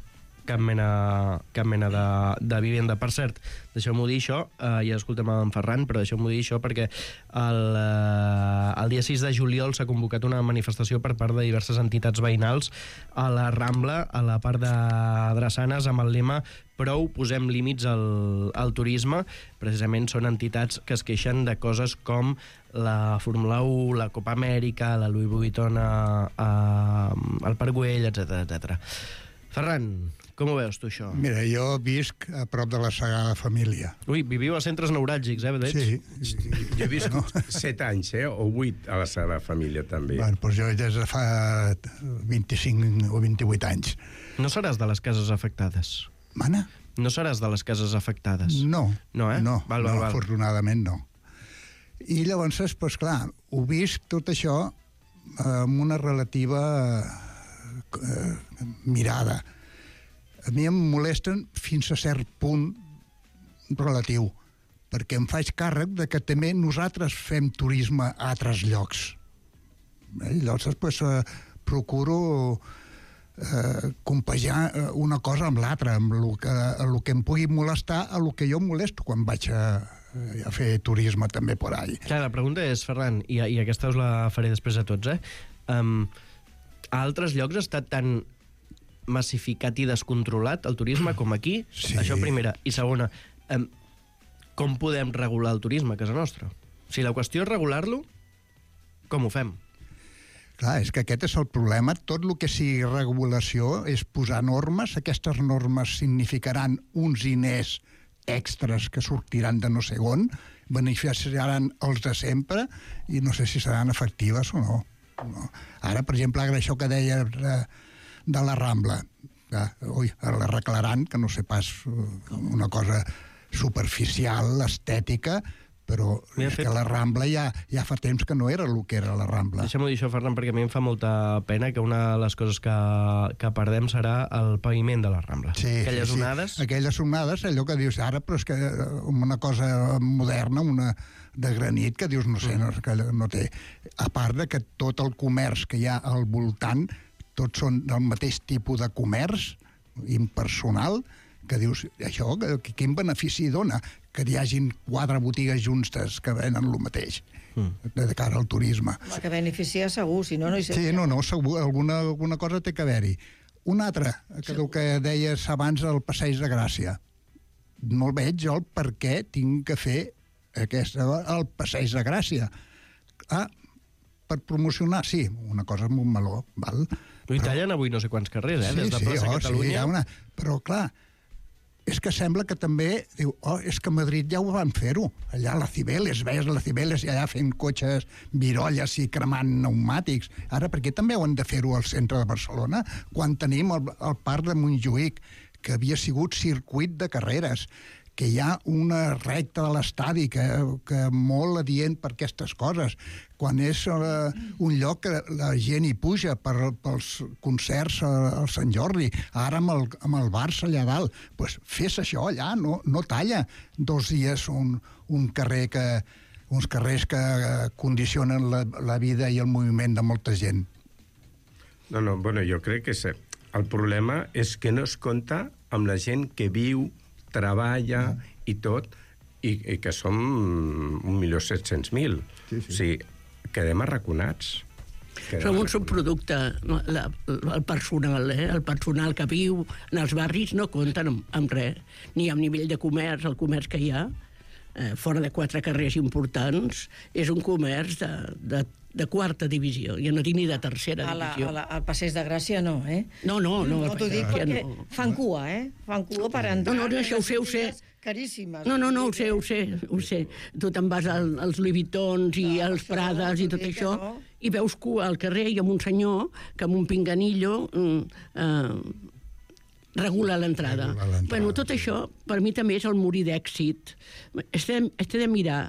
cap mena, cap mena de, de vivenda. Per cert, deixeu-m'ho dir això, eh, ja escoltem en Ferran, però deixeu-m'ho dir això perquè el, eh, el dia sis de juliol s'ha convocat una manifestació per part de diverses entitats veïnals a la Rambla, a la part de Drassanes, amb el lema "Prou, posem límits al, al turisme". Precisament són entitats que es queixen de coses com la Fórmula u, la Copa Amèrica, la Louis Vuitton a, a, al Parc Güell, etcètera, etcètera. Ferran, com ho veus tu, això? Mira, jo visc a prop de la Sagrada Família. Ui, viviu a centres neuràlgics, eh, veig? Sí. Jo he vist no? set anys, eh, o vuit a la Sagrada Família, també. Bueno, doncs jo des de fa vint-i-cinc o vint-i-vuit anys. No seràs de les cases afectades? Mana? No seràs de les cases afectades? No. No, eh? No, val, val, no val. afortunadament no. I llavors, doncs clar, ho visc tot això amb una relativa eh, mirada. A mi em molesten fins a cert punt relatiu, perquè em faig càrrec de que també nosaltres fem turisme a altres llocs. Eh? Llavors, doncs, eh, procuro eh, compaginar una cosa amb l'altra, amb el que, el que em pugui molestar a el que jo em molesto quan vaig a, a fer turisme també por ahí. Clar, la pregunta és, Ferran, i, i aquesta us la faré després a tots, eh? Um, a altres llocs ha estat tan massificat i descontrolat el turisme com aquí? Sí. Això primera. I segona, um, com podem regular el turisme a casa nostra? Si la qüestió és regular-lo, com ho fem? Clar, és que aquest és el problema. Tot el que sigui regulació és posar normes. Aquestes normes significaran uns diners extras que sortiran de no sé on, beneficiaran els de sempre i no sé si seran efectives o no. no. Ara, per exemple, això que deia de, de la Rambla, que, ui, l'arreglaran, que no sé pas una cosa superficial, estètica, però és fet... que la Rambla ja, ja fa temps que no era el que era la Rambla. Deixa'm dir això, Ferran, perquè a mi em fa molta pena que una de les coses que, que perdem serà el paviment de la Rambla. Sí, Aquelles sí, sí. onades... Aquelles onades, allò que dius ara, però és que una cosa moderna, una de granit, que dius, no sé, no, que no té... A part de que tot el comerç que hi ha al voltant, tots són del mateix tipus de comerç, impersonal, que dius, això, que, quin benefici dona que hi hagin quatre botigues juntes que venen el mateix mm. de cara al turisme. Que beneficia segur, si no, no hi sé. Sí, no, no, segur, alguna, alguna cosa té que haver-hi. Una altra, que el que deies abans del Passeig de Gràcia. No el veig jo el per què tinc que fer aquesta, el Passeig de Gràcia. Ah, per promocionar, sí, una cosa amb un meló, val? I tallen avui no sé quants carrers, eh? Sí, Des de sí, Plaça oh, Catalunya. Sí, hi ha una... Però, clar, és que sembla que també diu, oh, és que a Madrid ja ho van fer-ho. Allà a la Cibeles, veies la Cibeles i allà fent cotxes, virolles i cremant pneumàtics. Ara, per què també ho han de fer-ho al centre de Barcelona quan tenim el, el parc de Montjuïc, que havia sigut circuit de carreres, que hi ha una recta de l'estadi que, que molt adient per aquestes coses, quan és uh, un lloc que la gent hi puja per, pels concerts al Sant Jordi, ara amb el, amb el Barça allà dalt, pues fes això allà, no, no talla dos dies un, un carrer que, uns carrers que condicionen la, la vida i el moviment de molta gent. No, no, bueno, jo crec que és, el problema és que no es compta amb la gent que viu, treballa ah. i tot, i, i que som un milió set-cents mil. Sí, sí. O sigui, quedem arraconats. Quedem Som un subproducte. La, el personal, eh? El personal que viu en els barris no compten amb, amb res. Ni amb nivell de comerç, el comerç que hi ha, eh, fora de quatre carrers importants, és un comerç de, de de quarta divisió, ja no dic ni de tercera a la, divisió. A la, al Passeig de Gràcia no, eh? No, no, no. No, t'ho dic perquè no. Fan cua, eh? Fan cua per entrar. No, no, això ho sé, ho sé. Caríssimes. No, no, no, ho sé, ho sé, ho sé. Tu te'n vas al, als Louis Vuittons i no, als Prades i tot això, no. I veus cua al carrer i amb un senyor que amb un pinganillo eh, regula l'entrada. Bueno, tot això, per mi també és el morir d'èxit. Estem, estem de mirar...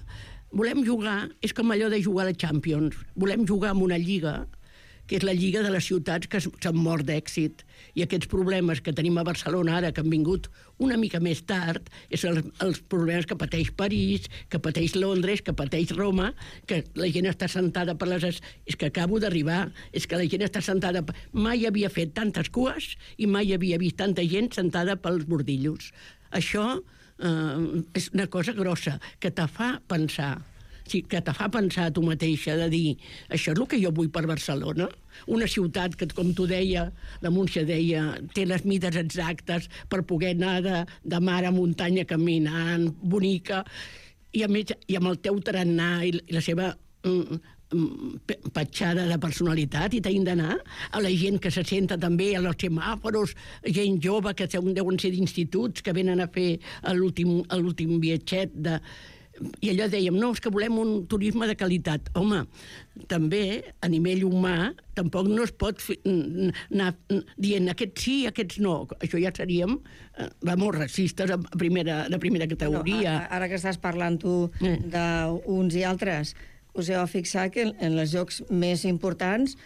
Volem jugar, és com allò de jugar a la Champions, volem jugar en una lliga que és la lliga de les ciutats que s'han mort d'èxit. I aquests problemes que tenim a Barcelona ara, que han vingut una mica més tard, és els, els problemes que pateix París, que pateix Londres, que pateix Roma, que la gent està sentada per les... És que acabo d'arribar, és que la gent està sentada... Mai havia fet tantes cues i mai havia vist tanta gent sentada pels bordillos. Això eh, és una cosa grossa, que te fa pensar. Sí, que te fa pensar a tu mateixa de dir això és el que jo vull per Barcelona, una ciutat que, com tu deia, la Múncia deia, té les mides exactes per poder anar de, de mar a muntanya caminant, bonica, i a més, i amb el teu tarannà i la seva mm, petjada de personalitat, i t'hem d'anar a la gent que se senta també a los semàforos, gent jove que deuen ser d'instituts, que venen a fer l'últim viatget de... I allò dèiem, no, és que volem un turisme de qualitat. Home, també, a nivell humà, tampoc no es pot fi, anar dient aquests sí, aquests no. Això ja seríem, eh, vamos, racistes de primera, de primera categoria. No, ara que estàs parlant tu eh. d'uns i altres, us heu fixat que en els llocs més importants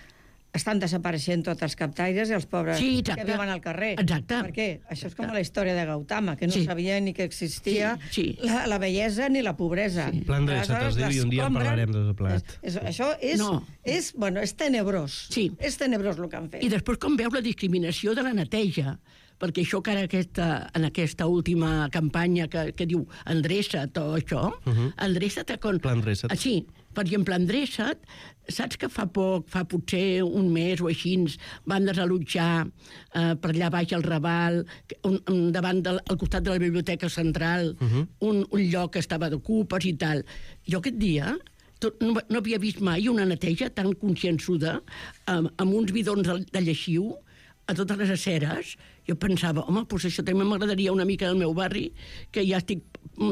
estan desapareixent tots els captaires i els pobres sí, que viuen al carrer. Exacte. Perquè això és com la història de Gautama, que no sí. sabia ni que existia sí, sí. La, la bellesa ni la pobresa. Sí. Plan de set es diu i un dia en parlarem de tot plat. És, és, això és, no. és, bueno, és tenebrós. Sí. És tenebrós el que han fet. I després com veus la discriminació de la neteja, perquè això que ara aquesta, en aquesta última campanya que, que diu endreça't o això, uh -huh. endreça't... Con... Plan endreça't. Ah, sí, per exemple, endreça't, saps que fa poc, fa potser un mes o així, van desallotjar eh, per allà baix al Raval, un, un, davant del, al costat de la Biblioteca Central, uh -huh. un, un lloc que estava d'ocupes i tal. Jo aquest dia... Tot, no, no havia vist mai una neteja tan consciençuda amb, amb uns bidons de, de lleixiu a totes les aceres. Jo pensava, home, doncs això també m'agradaria una mica del meu barri, que ja estic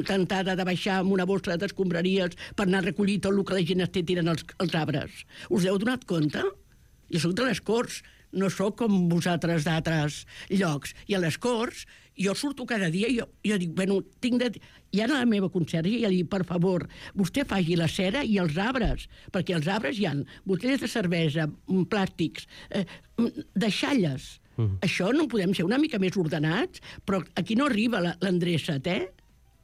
tentada de baixar amb una bossa d'escombraries per anar a recollir tot el que la gent esté tirant als, als arbres. Us heu donat compte? Jo soc de les Corts, no sóc com vosaltres d'altres llocs. I a les Corts, jo surto cada dia i jo, jo dic, bueno, tinc de... I ara la meva conserge ja li dic, per favor, vostè faci la cera i els arbres, perquè els arbres hi ha botelles de cervesa, plàstics, eh, deixalles. Uh-huh. Això no podem ser una mica més ordenats, però aquí no arriba l'endreça't, eh?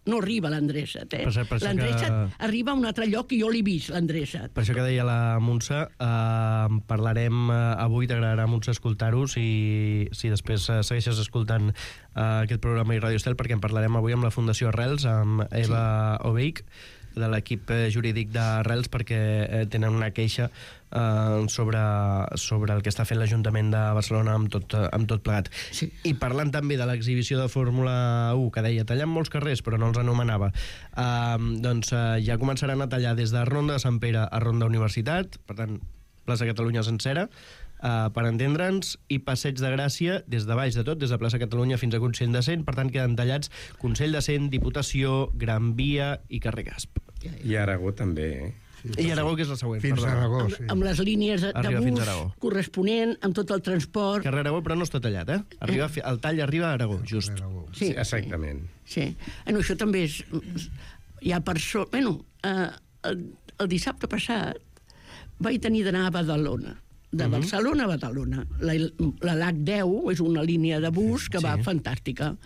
No arriba l'endreça't, eh? L'endreça't que... arriba a un altre lloc que jo l'he vist, l'endreça't. Per això que deia la Montse, eh, parlarem eh, avui, t'agradarà, Montse, escoltar-ho, si, si després eh, segueixes escoltant eh, aquest programa i Radio Estel, perquè en parlarem avui amb la Fundació Arrels, amb Eva sí. Obeich, de l'equip jurídic d'Arrels, perquè eh, tenen una queixa eh, sobre, sobre el que està fent l'Ajuntament de Barcelona amb tot, amb tot plegat. Sí. I parlant també de l'exhibició de Fórmula u, que deia, tallant molts carrers, però no els anomenava, eh, doncs eh, ja començaran a tallar des de Ronda de Sant Pere a Ronda Universitat, per tant, plaça Catalunya sencera, Uh, per entendre'ns, i Passeig de Gràcia des de baix de tot, des de plaça Catalunya fins a Consell de Cent, per tant queden tallats Consell de Cent, Diputació, Gran Via i carrer Gasp. I Aragó també, eh? Sí, I Aragó, que és la següent. Fins a Aragó, sí. Amb, amb les línies de, de bus corresponent, amb tot el transport... Carrer Aragó, però no està tallat, eh? Arriba, el tall arriba a Aragó, just. Sí, sí, exactament. Sí. Bueno, això també és... Hi ha persones... Bueno, eh, el, el dissabte passat vaig tenir d'anar a Badalona, de Barcelona a Badalona. La, la L H deu és una línia de bus que sí. va fantàstica.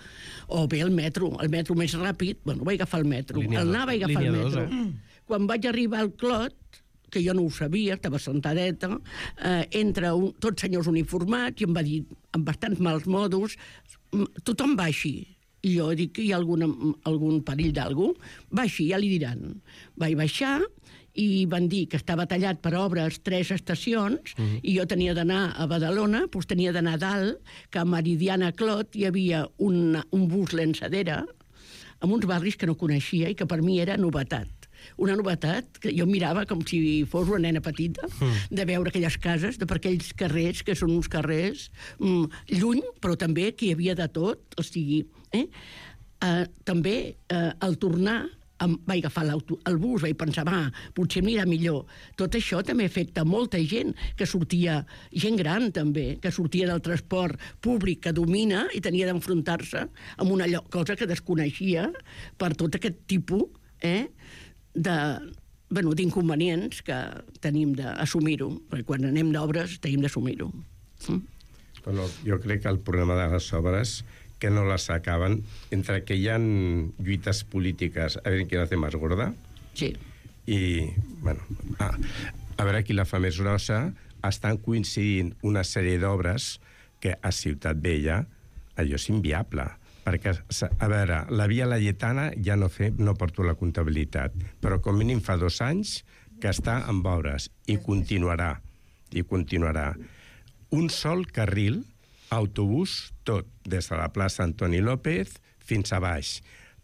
O bé el metro, el metro més ràpid, bueno, vaig agafar el metro. Línia el anar vaig agafar el metro. Dos, eh? Quan vaig arribar al Clot, que jo no ho sabia, estava sentadeta, eh, entra un, tots senyors uniformats i em va dir, amb bastants mals modos, tothom baixi. I jo dic que hi ha algun, algun perill d'algú. Baixi, ja li diran. Vaig baixar i van dir que estava tallat per obres tres estacions, uh-huh. i jo tenia d'anar a Badalona, doncs tenia d'anar a dalt, que a Meridiana Clot hi havia una, un bus llançadera amb uns barris que no coneixia i que per mi era novetat. Una novetat que jo mirava com si fos una nena petita, mm. de veure aquelles cases, de per aquells carrers, que són uns carrers mm, lluny, però també que hi havia de tot, o sigui... Eh? Uh, també, uh, al tornar, em vaig agafar el bus, vaig pensar, va, potser m'anirà millor. Tot això també afecta molta gent que sortia, gent gran també, que sortia del transport públic que domina i tenia d'enfrontar-se amb una cosa que desconeixia per tot aquest tipus, eh, de bueno, d'inconvenients que tenim d'assumir-ho, perquè quan anem d'obres tenim d'assumir-ho. Mm? Bueno, jo crec que el problema de les obres que no les acaben, entre que hi ha lluites polítiques, a veure qui la té més gorda, sí. I, bueno, ah, a veure qui la fa més grossa, estan coincidint una sèrie d'obres que a Ciutat Vella allò és inviable. Perquè, a veure, la Via Laietana ja no, fe, no porto la comptabilitat, però com mínim fa dos anys que està amb obres i continuarà, i continuarà. Un sol carril, autobús, tot, des de la plaça Antoni López fins a baix.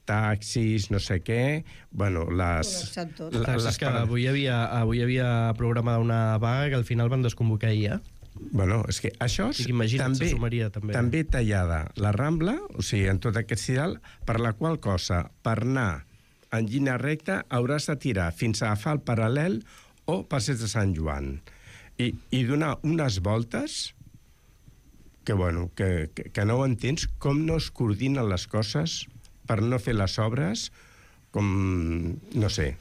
Taxis, no sé què, bueno, les... La, les que avui hi havia, avui hi havia programada una vaga que al final van desconvocar ahir, eh? Bueno, és que això és també, també. també tallada la Rambla, o sigui, en tot aquest sidal, per la qual cosa, per anar en línia recta, hauràs de tirar fins a agafar el paral·lel o passeig de Sant Joan. I, i donar unes voltes que, bueno, que, que, que no ho entens, com no es coordinen les coses per no fer les obres com, no sé,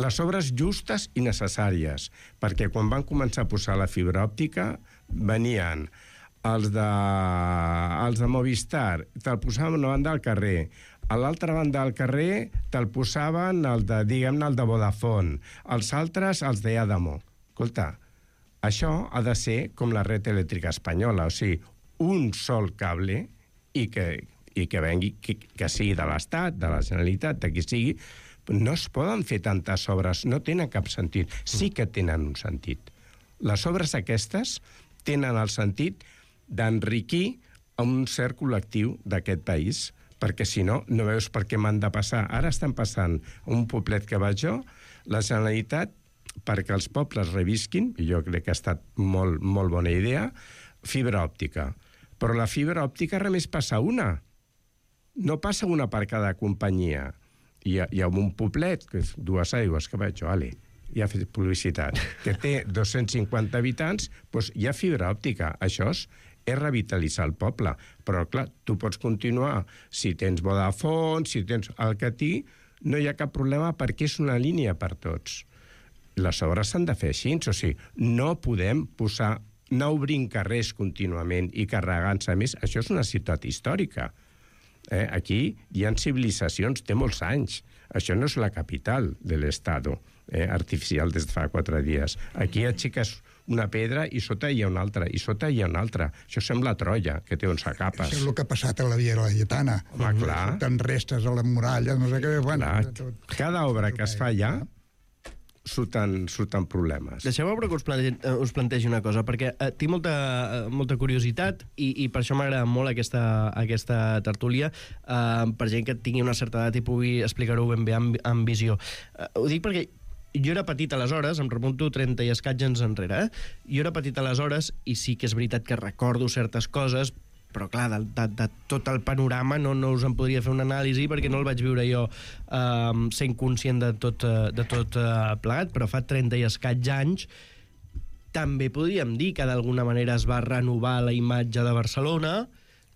les obres justes i necessàries, perquè quan van començar a posar la fibra òptica venien els de, els de Movistar, te'l posaven a una banda del carrer, a l'altra banda del carrer te'l posaven el de, diguem-ne, el de Vodafone, els altres els de Adamo. Escolta, això ha de ser com la red elèctrica espanyola, o sigui, un sol cable i que i que vengui, que, que sigui de l'Estat, de la Generalitat, de qui sigui, no es poden fer tantes obres, no tenen cap sentit. Sí que tenen un sentit. Les obres aquestes tenen el sentit d'enriquir a un cert col·lectiu d'aquest país, perquè si no, no veus per què m'han de passar. Ara estan passant a un poblet que vaig jo, la Generalitat, perquè els pobles revisquin, i jo crec que ha estat molt, molt bona idea, fibra òptica. Però la fibra òptica només passa una. No passa una per cada companyia. Hi ha, hi ha un poblet, que és Dues Aigües, que vaig jo, ale, ja ha fet publicitat, que té dos-cents cinquanta habitants, doncs hi ha fibra òptica. Això és, és revitalitzar el poble. Però, clar, tu pots continuar. Si tens Vodafone, si tens el Catí, no hi ha cap problema perquè és una línia per tots. Les obres s'han de fer així. O sigui, no podem posar, anar obrint carrers contínuament i carregant-se més. Això és una ciutat històrica. Eh, aquí hi ha civilitzacions, té molts anys. Això no és la capital de l'Estado, eh, artificial des de fa quatre dies. Aquí aixeques una pedra i sota hi ha una altra, i sota hi ha una altra. Això sembla Troia, que té onze capes. Això és el que ha passat a la Via Laietana. Home, clar. Surten restes a la muralla, no sé què... Bueno, clar. Cada obra que es fa allà surten, surten problemes. Deixeu-me però que us plantegi, us plantegi una cosa, perquè eh, tinc molta, eh, molta curiositat i, i per això m'agrada molt aquesta, aquesta tertúlia, eh, per gent que tingui una certa edat i pugui explicar-ho ben bé amb, amb visió. Eh, ho dic perquè jo era petit aleshores, em remunto trenta i escaig anys enrere, eh? Jo era petit aleshores i sí que és veritat que recordo certes coses, però clar, de, de, de tot el panorama no, no us en podria fer una anàlisi perquè no el vaig viure jo eh, sent conscient de tot, de tot eh, plegat, però fa trenta i escaig anys també podríem dir que d'alguna manera es va renovar la imatge de Barcelona,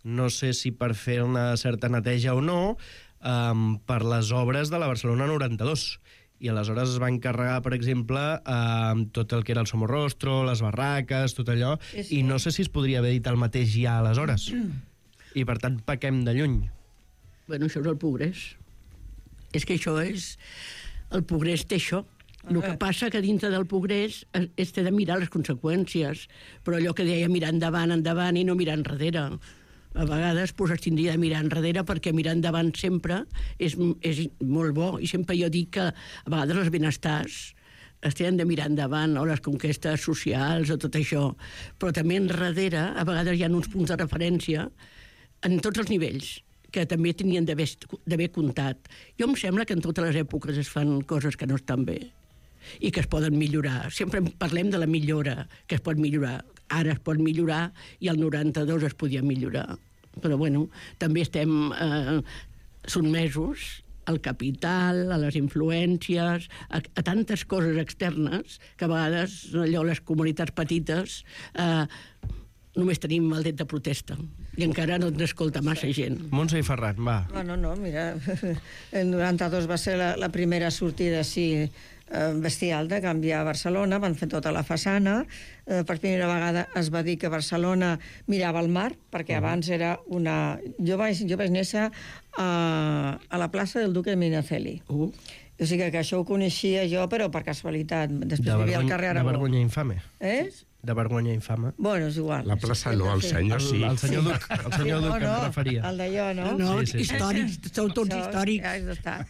no sé si per fer una certa neteja o no, eh, per les obres de la Barcelona noranta-dos. I aleshores es va encarregar, per exemple, eh, tot el que era el Somorrostro, les barraques, tot allò, sí. I no sé si es podria haver dit el mateix ja aleshores. I, per tant, pequem de lluny. Bueno, això és el progrés. És que això és... El progrés té això. El que passa que dintre del progrés és de mirar les conseqüències, però allò que deia mirar endavant, endavant i no mirar enrere. A vegades pues, es tindria de mirar enrere perquè mirar endavant sempre és, és molt bo. I sempre jo dic que a vegades els benestars es tenen de mirar endavant, o les conquestes socials o tot això. Però també enrere a vegades hi ha uns punts de referència en tots els nivells que també tenien d'haver comptat. Jo em sembla que en totes les èpoques es fan coses que no estan bé i que es poden millorar. Sempre parlem de la millora, que es pot millorar. Ara es pot millorar i el noranta-dos es podia millorar. Però, bueno, també estem eh, sotmesos al capital, a les influències, a, a tantes coses externes que a vegades allò, les comunitats petites eh, només tenim el dret de protesta i encara no ens escolta massa gent. Montse i Ferran, va. No, no, no, mira, el noranta-dos va ser la, la primera sortida així eh, bestial de canviar a Barcelona, van fer tota la façana, eh, per primera vegada es va dir que Barcelona mirava al mar, perquè uh -huh. abans era una... Jo vaig, jo vaig néixer a, a la plaça del Duque de Medinaceli. Uh. O sigui que això ho coneixia jo, però per casualitat. Després de vivia al carrer Aragó. De vergonya infame. Eh? De vergonya infame. Bueno, és igual. La plaça no, el senyor sí. El, el senyor Duc, el senyor Duc no, que no, em referia. el d'allò, no? No, Sí, sí, sí. històrics, són tots Això, històrics. Ja és d'estar.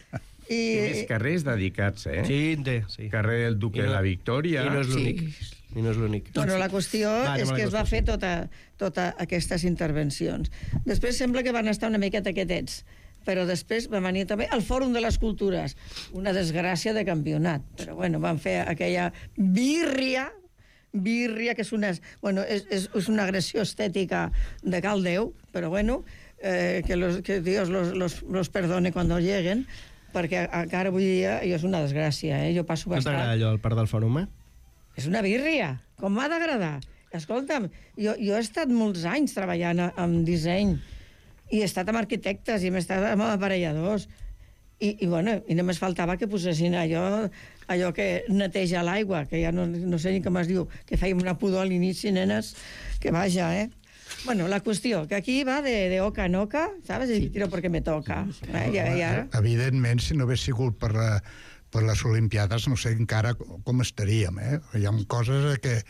I més carrers dedicats, eh? Sí, en té, sí. Carrer del Duque de la Victòria. I no és l'únic. Sí. I no és l'únic. Bueno, la qüestió Va, és anem a la que es va qüestió. fer tota, tota aquestes intervencions. Després sembla que van estar una miqueta quietets, però després va venir també el Fòrum de les Cultures, una desgràcia de campionat. Però bueno, van fer aquella birria, birria, que és una, bueno, és, és, és una agressió estètica de cal Déu, però bueno, eh, que, los, que Dios los, los, los perdone cuando lleguen, perquè encara avui dia jo és una desgràcia, eh? Jo passo No bastant... t'agrada allò, el parc del Fòrum, eh? És una birria, com m'ha d'agradar. Escolta'm, jo, jo he estat molts anys treballant amb disseny i he estat amb arquitectes i he estat amb aparelladors i, i, bueno, i només faltava que posessin allò, allò que neteja l'aigua, que ja no, no sé ni com es diu, que fèiem una pudor a l'inici, nenes, que vaja, eh? Bueno, la qüestió, que aquí va de, de oca en oca, ¿sabes? Y tiro porque me toca. Eh? I, i ara... Evidentment, si no hagués sigut per, la, per les Olimpiades, no sé encara com estaríem, eh? Hi ha coses que,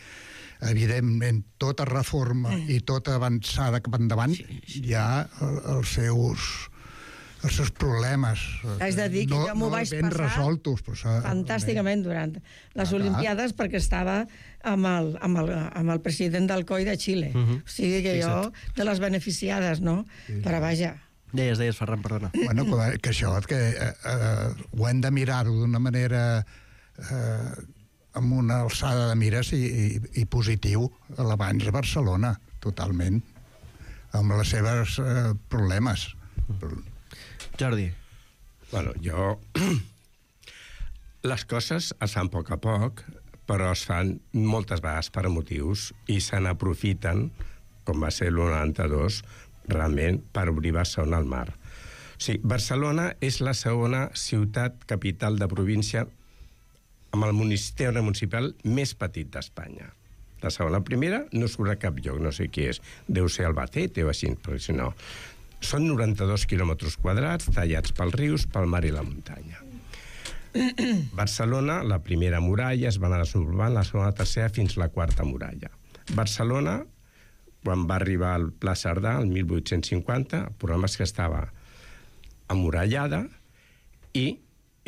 evidentment, tota reforma i tota avançada cap endavant sí, sí. hi ha els seus, els seus problemes. Has de dir que no, jo m'ho no vaig ben passar resoltos, però fantàsticament durant les Ah, Olimpiades perquè estava amb el, amb el, amb el president del C O I de Xile. Uh -huh. O sigui que jo, de les beneficiades, no? Sí. Però vaja... Deies, deies, Ferran, perdona. Bueno, que, que això, que eh, eh, ho hem de mirar-ho d'una manera... Eh, amb una alçada de mires i, i, i positiu a l'abans de Barcelona, totalment, amb les seves eh, problemes. Jordi. Bueno, jo... Les coses es fan a poc a poc, però es fan moltes vegades per motius i se n'aprofiten, com va ser l'u noranta-dos, realment per obrir Barcelona al mar. O sigui, Barcelona és la segona ciutat capital de província amb el municipi municipal més petit d'Espanya. La segona, primera, no surt a cap lloc, no sé qui és. Deu ser Albacete o així, però si no. Són noranta-dos quilòmetres quadrats, tallats pels rius, pel mar i la muntanya. Barcelona, la primera muralla, es va anar desenvolupant, la segona, la tercera, fins la quarta muralla. Barcelona, quan va arribar al Pla Cerdà, el mil vuit-cents cinquanta, el problema és que estava amurallada i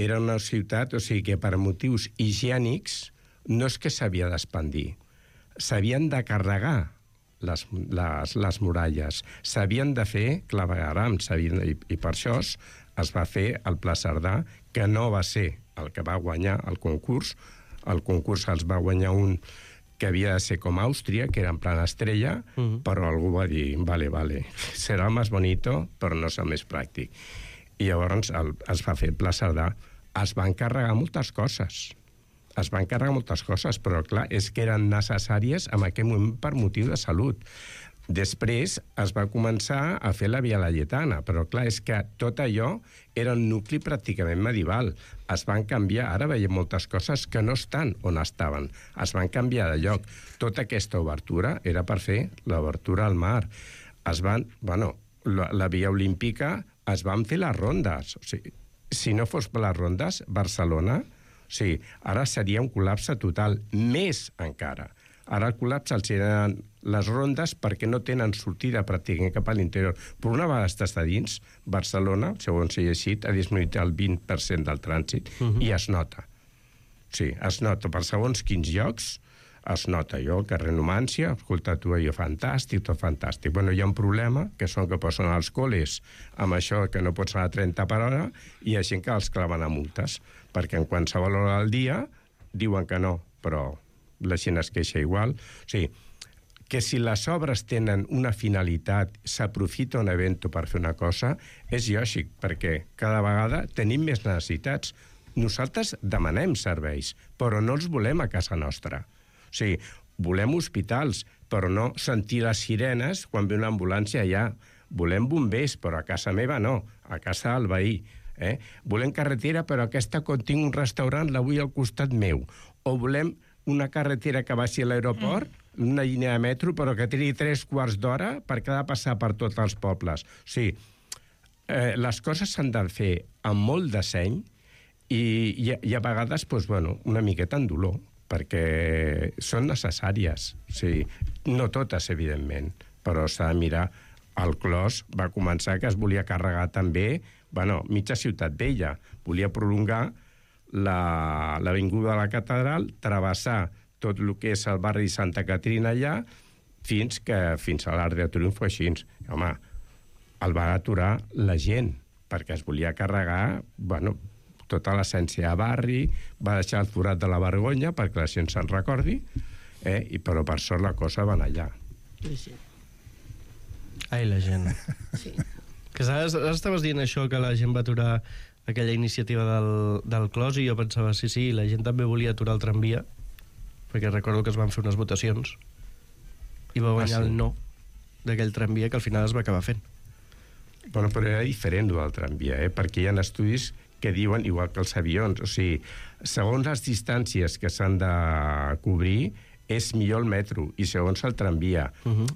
era una ciutat, o sigui que per motius higiènics no és que s'havia d'expandir, s'havien de carregar les, les, les muralles, s'havien de fer claveguerams, i, i per això es va fer el Pla Cerdà, que no va ser el que va guanyar el concurs. El concurs els va guanyar un que havia de ser com Àustria, que era en plan estrella, uh-huh. però algú va dir, vale, vale, serà més bonito, però no serà més pràctic. I llavors el, es va fer el Pla Cerdà. Es van carregar moltes coses. Es van carregar moltes coses, però clar, és que eren necessàries en aquell moment per motiu de salut. Després es va començar a fer la Via Laietana, però clar, és que tot allò era un nucli pràcticament medieval. Es van canviar, ara veiem moltes coses que no estan on estaven. Es van canviar de lloc. Tota aquesta obertura era per fer l'obertura al mar. Es van, bueno, la, la Via Olímpica es van fer les rondes. O sigui, si no fos per les rondes, Barcelona, o sigui, ara seria un col·lapse total, més encara. Ara el col·lapse els eren les rondes perquè no tenen sortida pràcticament cap a l'interior. Per una vegada estàs a dins, Barcelona, segons he llegit, ha disminuït el vint per cent del trànsit, uh-huh. i es nota. Sí, es nota. Per segons quins llocs es nota. Jo, al carrer Numància, escolta, tu, allò fantàstic, tot fantàstic. Bueno, hi ha un problema, que són que posen als col·les amb això que no pots anar a trenta per hora, i hi ha gent que els claven a multes, perquè en qualsevol hora del dia diuen que no, però la gent es queixa igual. O sigui, que si les obres tenen una finalitat, s'aprofita un event per fer una cosa, és lògic, perquè cada vegada tenim més necessitats. Nosaltres demanem serveis, però no els volem a casa nostra. O sigui, volem hospitals, però no sentir les sirenes quan ve una ambulància allà. Volem bombers, però a casa meva no, a casa del veí. Eh? Volem carretera, però aquesta quan tinc un restaurant la vull al costat meu. O volem una carretera que baixi a l'aeroport, mm. una línia de metro, però que tingui tres quarts d'hora perquè ha de passar per tots els pobles. O sigui, eh, les coses s'han de fer amb molt de seny i, i, i a vegades, doncs, bueno, una miqueta en dolor, perquè són necessàries. O sigui, no totes, evidentment, però s'ha de mirar. El Clos va començar que es volia carregar també, bueno, mitja Ciutat Vella. Volia prolongar l'avinguda de la Catedral, travessar tot el que és el barri de Santa Caterina allà, fins que fins a l'Arc de Triomf així. Home, el va aturar la gent, perquè es volia carregar, bueno, tota l'essència de barri, va deixar el forat de la vergonya perquè la gent se'n recordi, eh? I, però per sort la cosa va anar allà. Sí, sí. Ai, la gent. Sí. Que saps, ara estaves dient això, que la gent va aturar aquella iniciativa del, del Clos, i jo pensava, sí, sí, la gent també volia aturar el tramvia, perquè recordo que es van fer unes votacions i va guanyar ah, sí? el no d'aquell tramvia, que al final es va acabar fent. Bueno, però era diferent del tramvia, eh? Perquè hi ha estudis que diuen, igual que els avions, o sigui, segons les distàncies que s'han de cobrir, és millor el metro, i segons el tramvia. Uh-huh.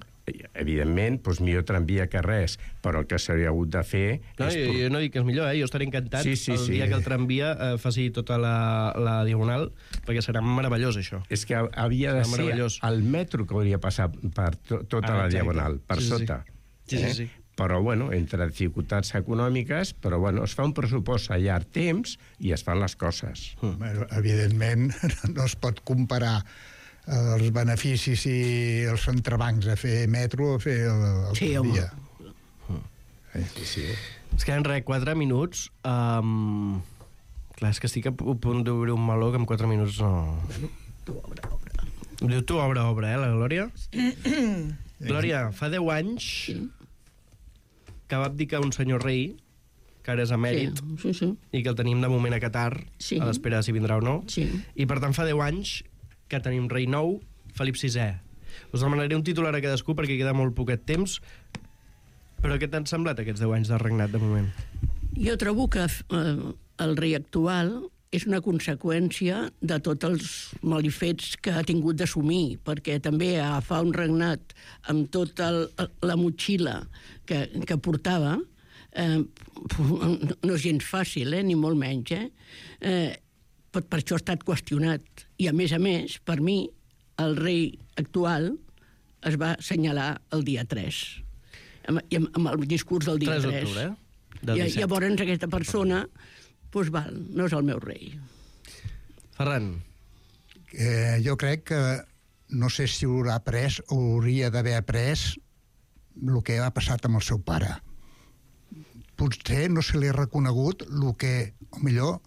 Evidentment, doncs millor tramvia que res, però el que s'hauria hagut de fer... No, és... jo, jo no dic que és millor, eh? Jo estaré encantat sí, sí, el sí. dia que el tramvia eh, faci tota la, la diagonal, perquè serà meravellós, això. És que havia de serà ser el metro que hauria passat per to tota ah, la diagonal, per sí, sota. Sí, sí, sí. Eh? Però, bueno, entre dificultats econòmiques, però, bueno, es fa un pressupost a llarg temps i es fan les coses. Mm. Bueno, evidentment, no es pot comparar els beneficis i els entrebancs a fer metro a fer el, el sí, dia. Mm. Sí, sí. Es queden res, quatre minuts. Um... Clar, és que estic a punt d'obrir un meló que en quatre minuts no... Bueno, tu obre, obre. Diu tu obre, obre, eh, la Glòria? Glòria, fa deu anys sí. que va abdicar un senyor rei, que ara és emèrit, sí, sí, sí. i que el tenim de moment a Qatar, sí. a l'espera de si vindrà o no. Sí. I per tant fa deu anys que tenim rei nou, Felip sisè. Us demanaré un titular a cadascú perquè queda molt poquet temps, però què t'han semblat aquests deu anys de regnat de moment? Jo trobo que eh, el rei actual és una conseqüència de tots els malifets que ha tingut d'assumir, perquè també agafar un regnat amb tota el, la motxilla que, que portava eh, no és gens fàcil, eh, ni molt menys, eh? Eh, per, per això ha estat qüestionat. I, a més a més, per mi, el rei actual es va assenyalar el dia tres, amb, amb el discurs del dia tres. tres d'octubre, eh? Del I, llavors aquesta persona, doncs val, no és el meu rei. Ferran. Eh, jo crec que, no sé si haurà après o hauria d'haver après el que ha passat amb el seu pare. Potser no se li ha reconegut el que, o millor,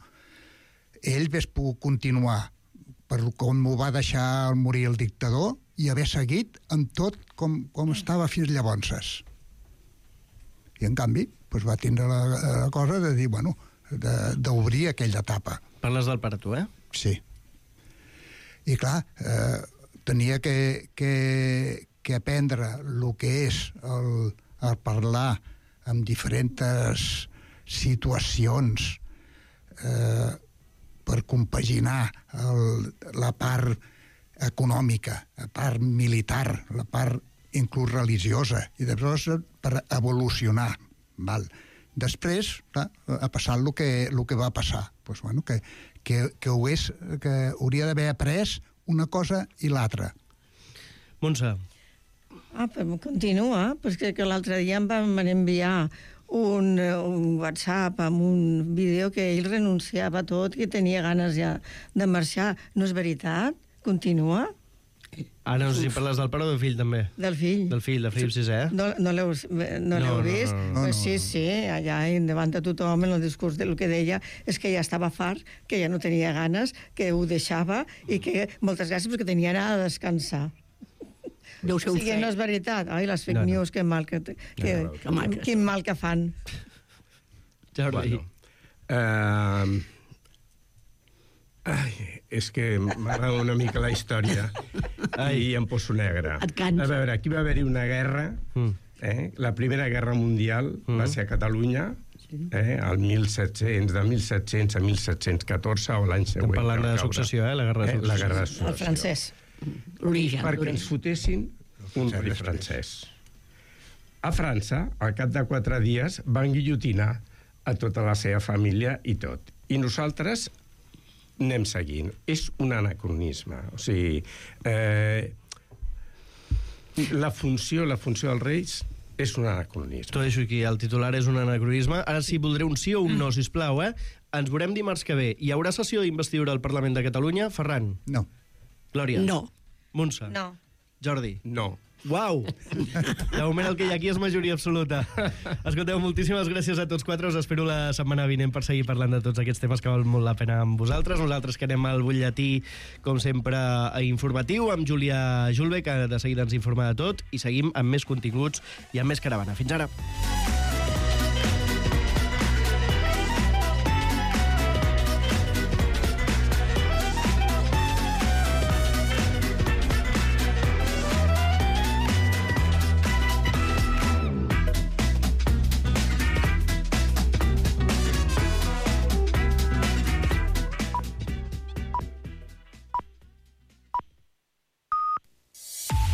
ell hagués pogut continuar per com ho va deixar morir el dictador i haver seguit amb tot com, com estava fins llavors. I, en canvi, doncs va tindre la, la cosa de dir, bueno, d'obrir aquella etapa. Parles del pare, tu, eh? Sí. I, clar, eh, tenia que, que, que aprendre el que és el, el parlar amb diferents situacions eh, per compaginar el, la part econòmica, la part militar, la part inclús religiosa, i després per evolucionar. Val. Després, clar, ha passat el que, el que va passar. Pues, bueno, que, que, que, ho és, que hauria d'haver après una cosa i l'altra. Montse. Ah, però continua, perquè que l'altre dia em van enviar un, un WhatsApp amb un vídeo que ell renunciava a tot, que tenia ganes ja de marxar. No és veritat? Continua? Ara no sé si parles del pare o del fill, també. Del fill. Del fill, de Felip sisè. No, no l'heu no no, vist? No, no, no. Pues sí, sí, allà davant de tothom en el discurs del que deia és que ja estava fart, que ja no tenia ganes, que ho deixava i que moltes gràcies perquè tenia anat a descansar. Deu ser un o sigui, no és veritat. Ai, les fake no, no. news, que mal que, que, no, no, no, que quin mal que fan. Jordi. Bueno, uh, ai, és que m'agrada una mica la història ai, i em poso negre. A veure, aquí va haver-hi una guerra, mm. eh? La Primera Guerra Mundial mm. va ser a Catalunya, eh, el mil set-cents, de mil set-cents a mil set-cents catorze o l'any següent. Estem parlant de successió, eh? La guerra de successió. La guerra de successió. El francès. L'origen. Perquè ens fotessin un rei francès. A França, al cap de quatre dies, van guillotinar a tota la seva família i tot. I nosaltres anem seguint. És un anacronisme. O sigui, eh, la funció, la funció dels reis és un anacronisme. T'ho deixo aquí, el titular és un anacronisme. Ara sí, voldré un sí o un no, sisplau, eh? Ens veurem dimarts que ve. Hi haurà sessió d'investidura al Parlament de Catalunya? Ferran? No. Glòria? No. Montse? No. Jordi? No. Uau! De moment el que hi ha aquí és majoria absoluta. Escolteu, moltíssimes gràcies a tots quatre. Us espero la setmana vinent per seguir parlant de tots aquests temes que val molt la pena amb vosaltres. Nosaltres que anem al butlletí, com sempre, informatiu, amb Júlia Julbe, que de seguida ens informa de tot, i seguim amb més continguts i amb més caravana. Fins ara!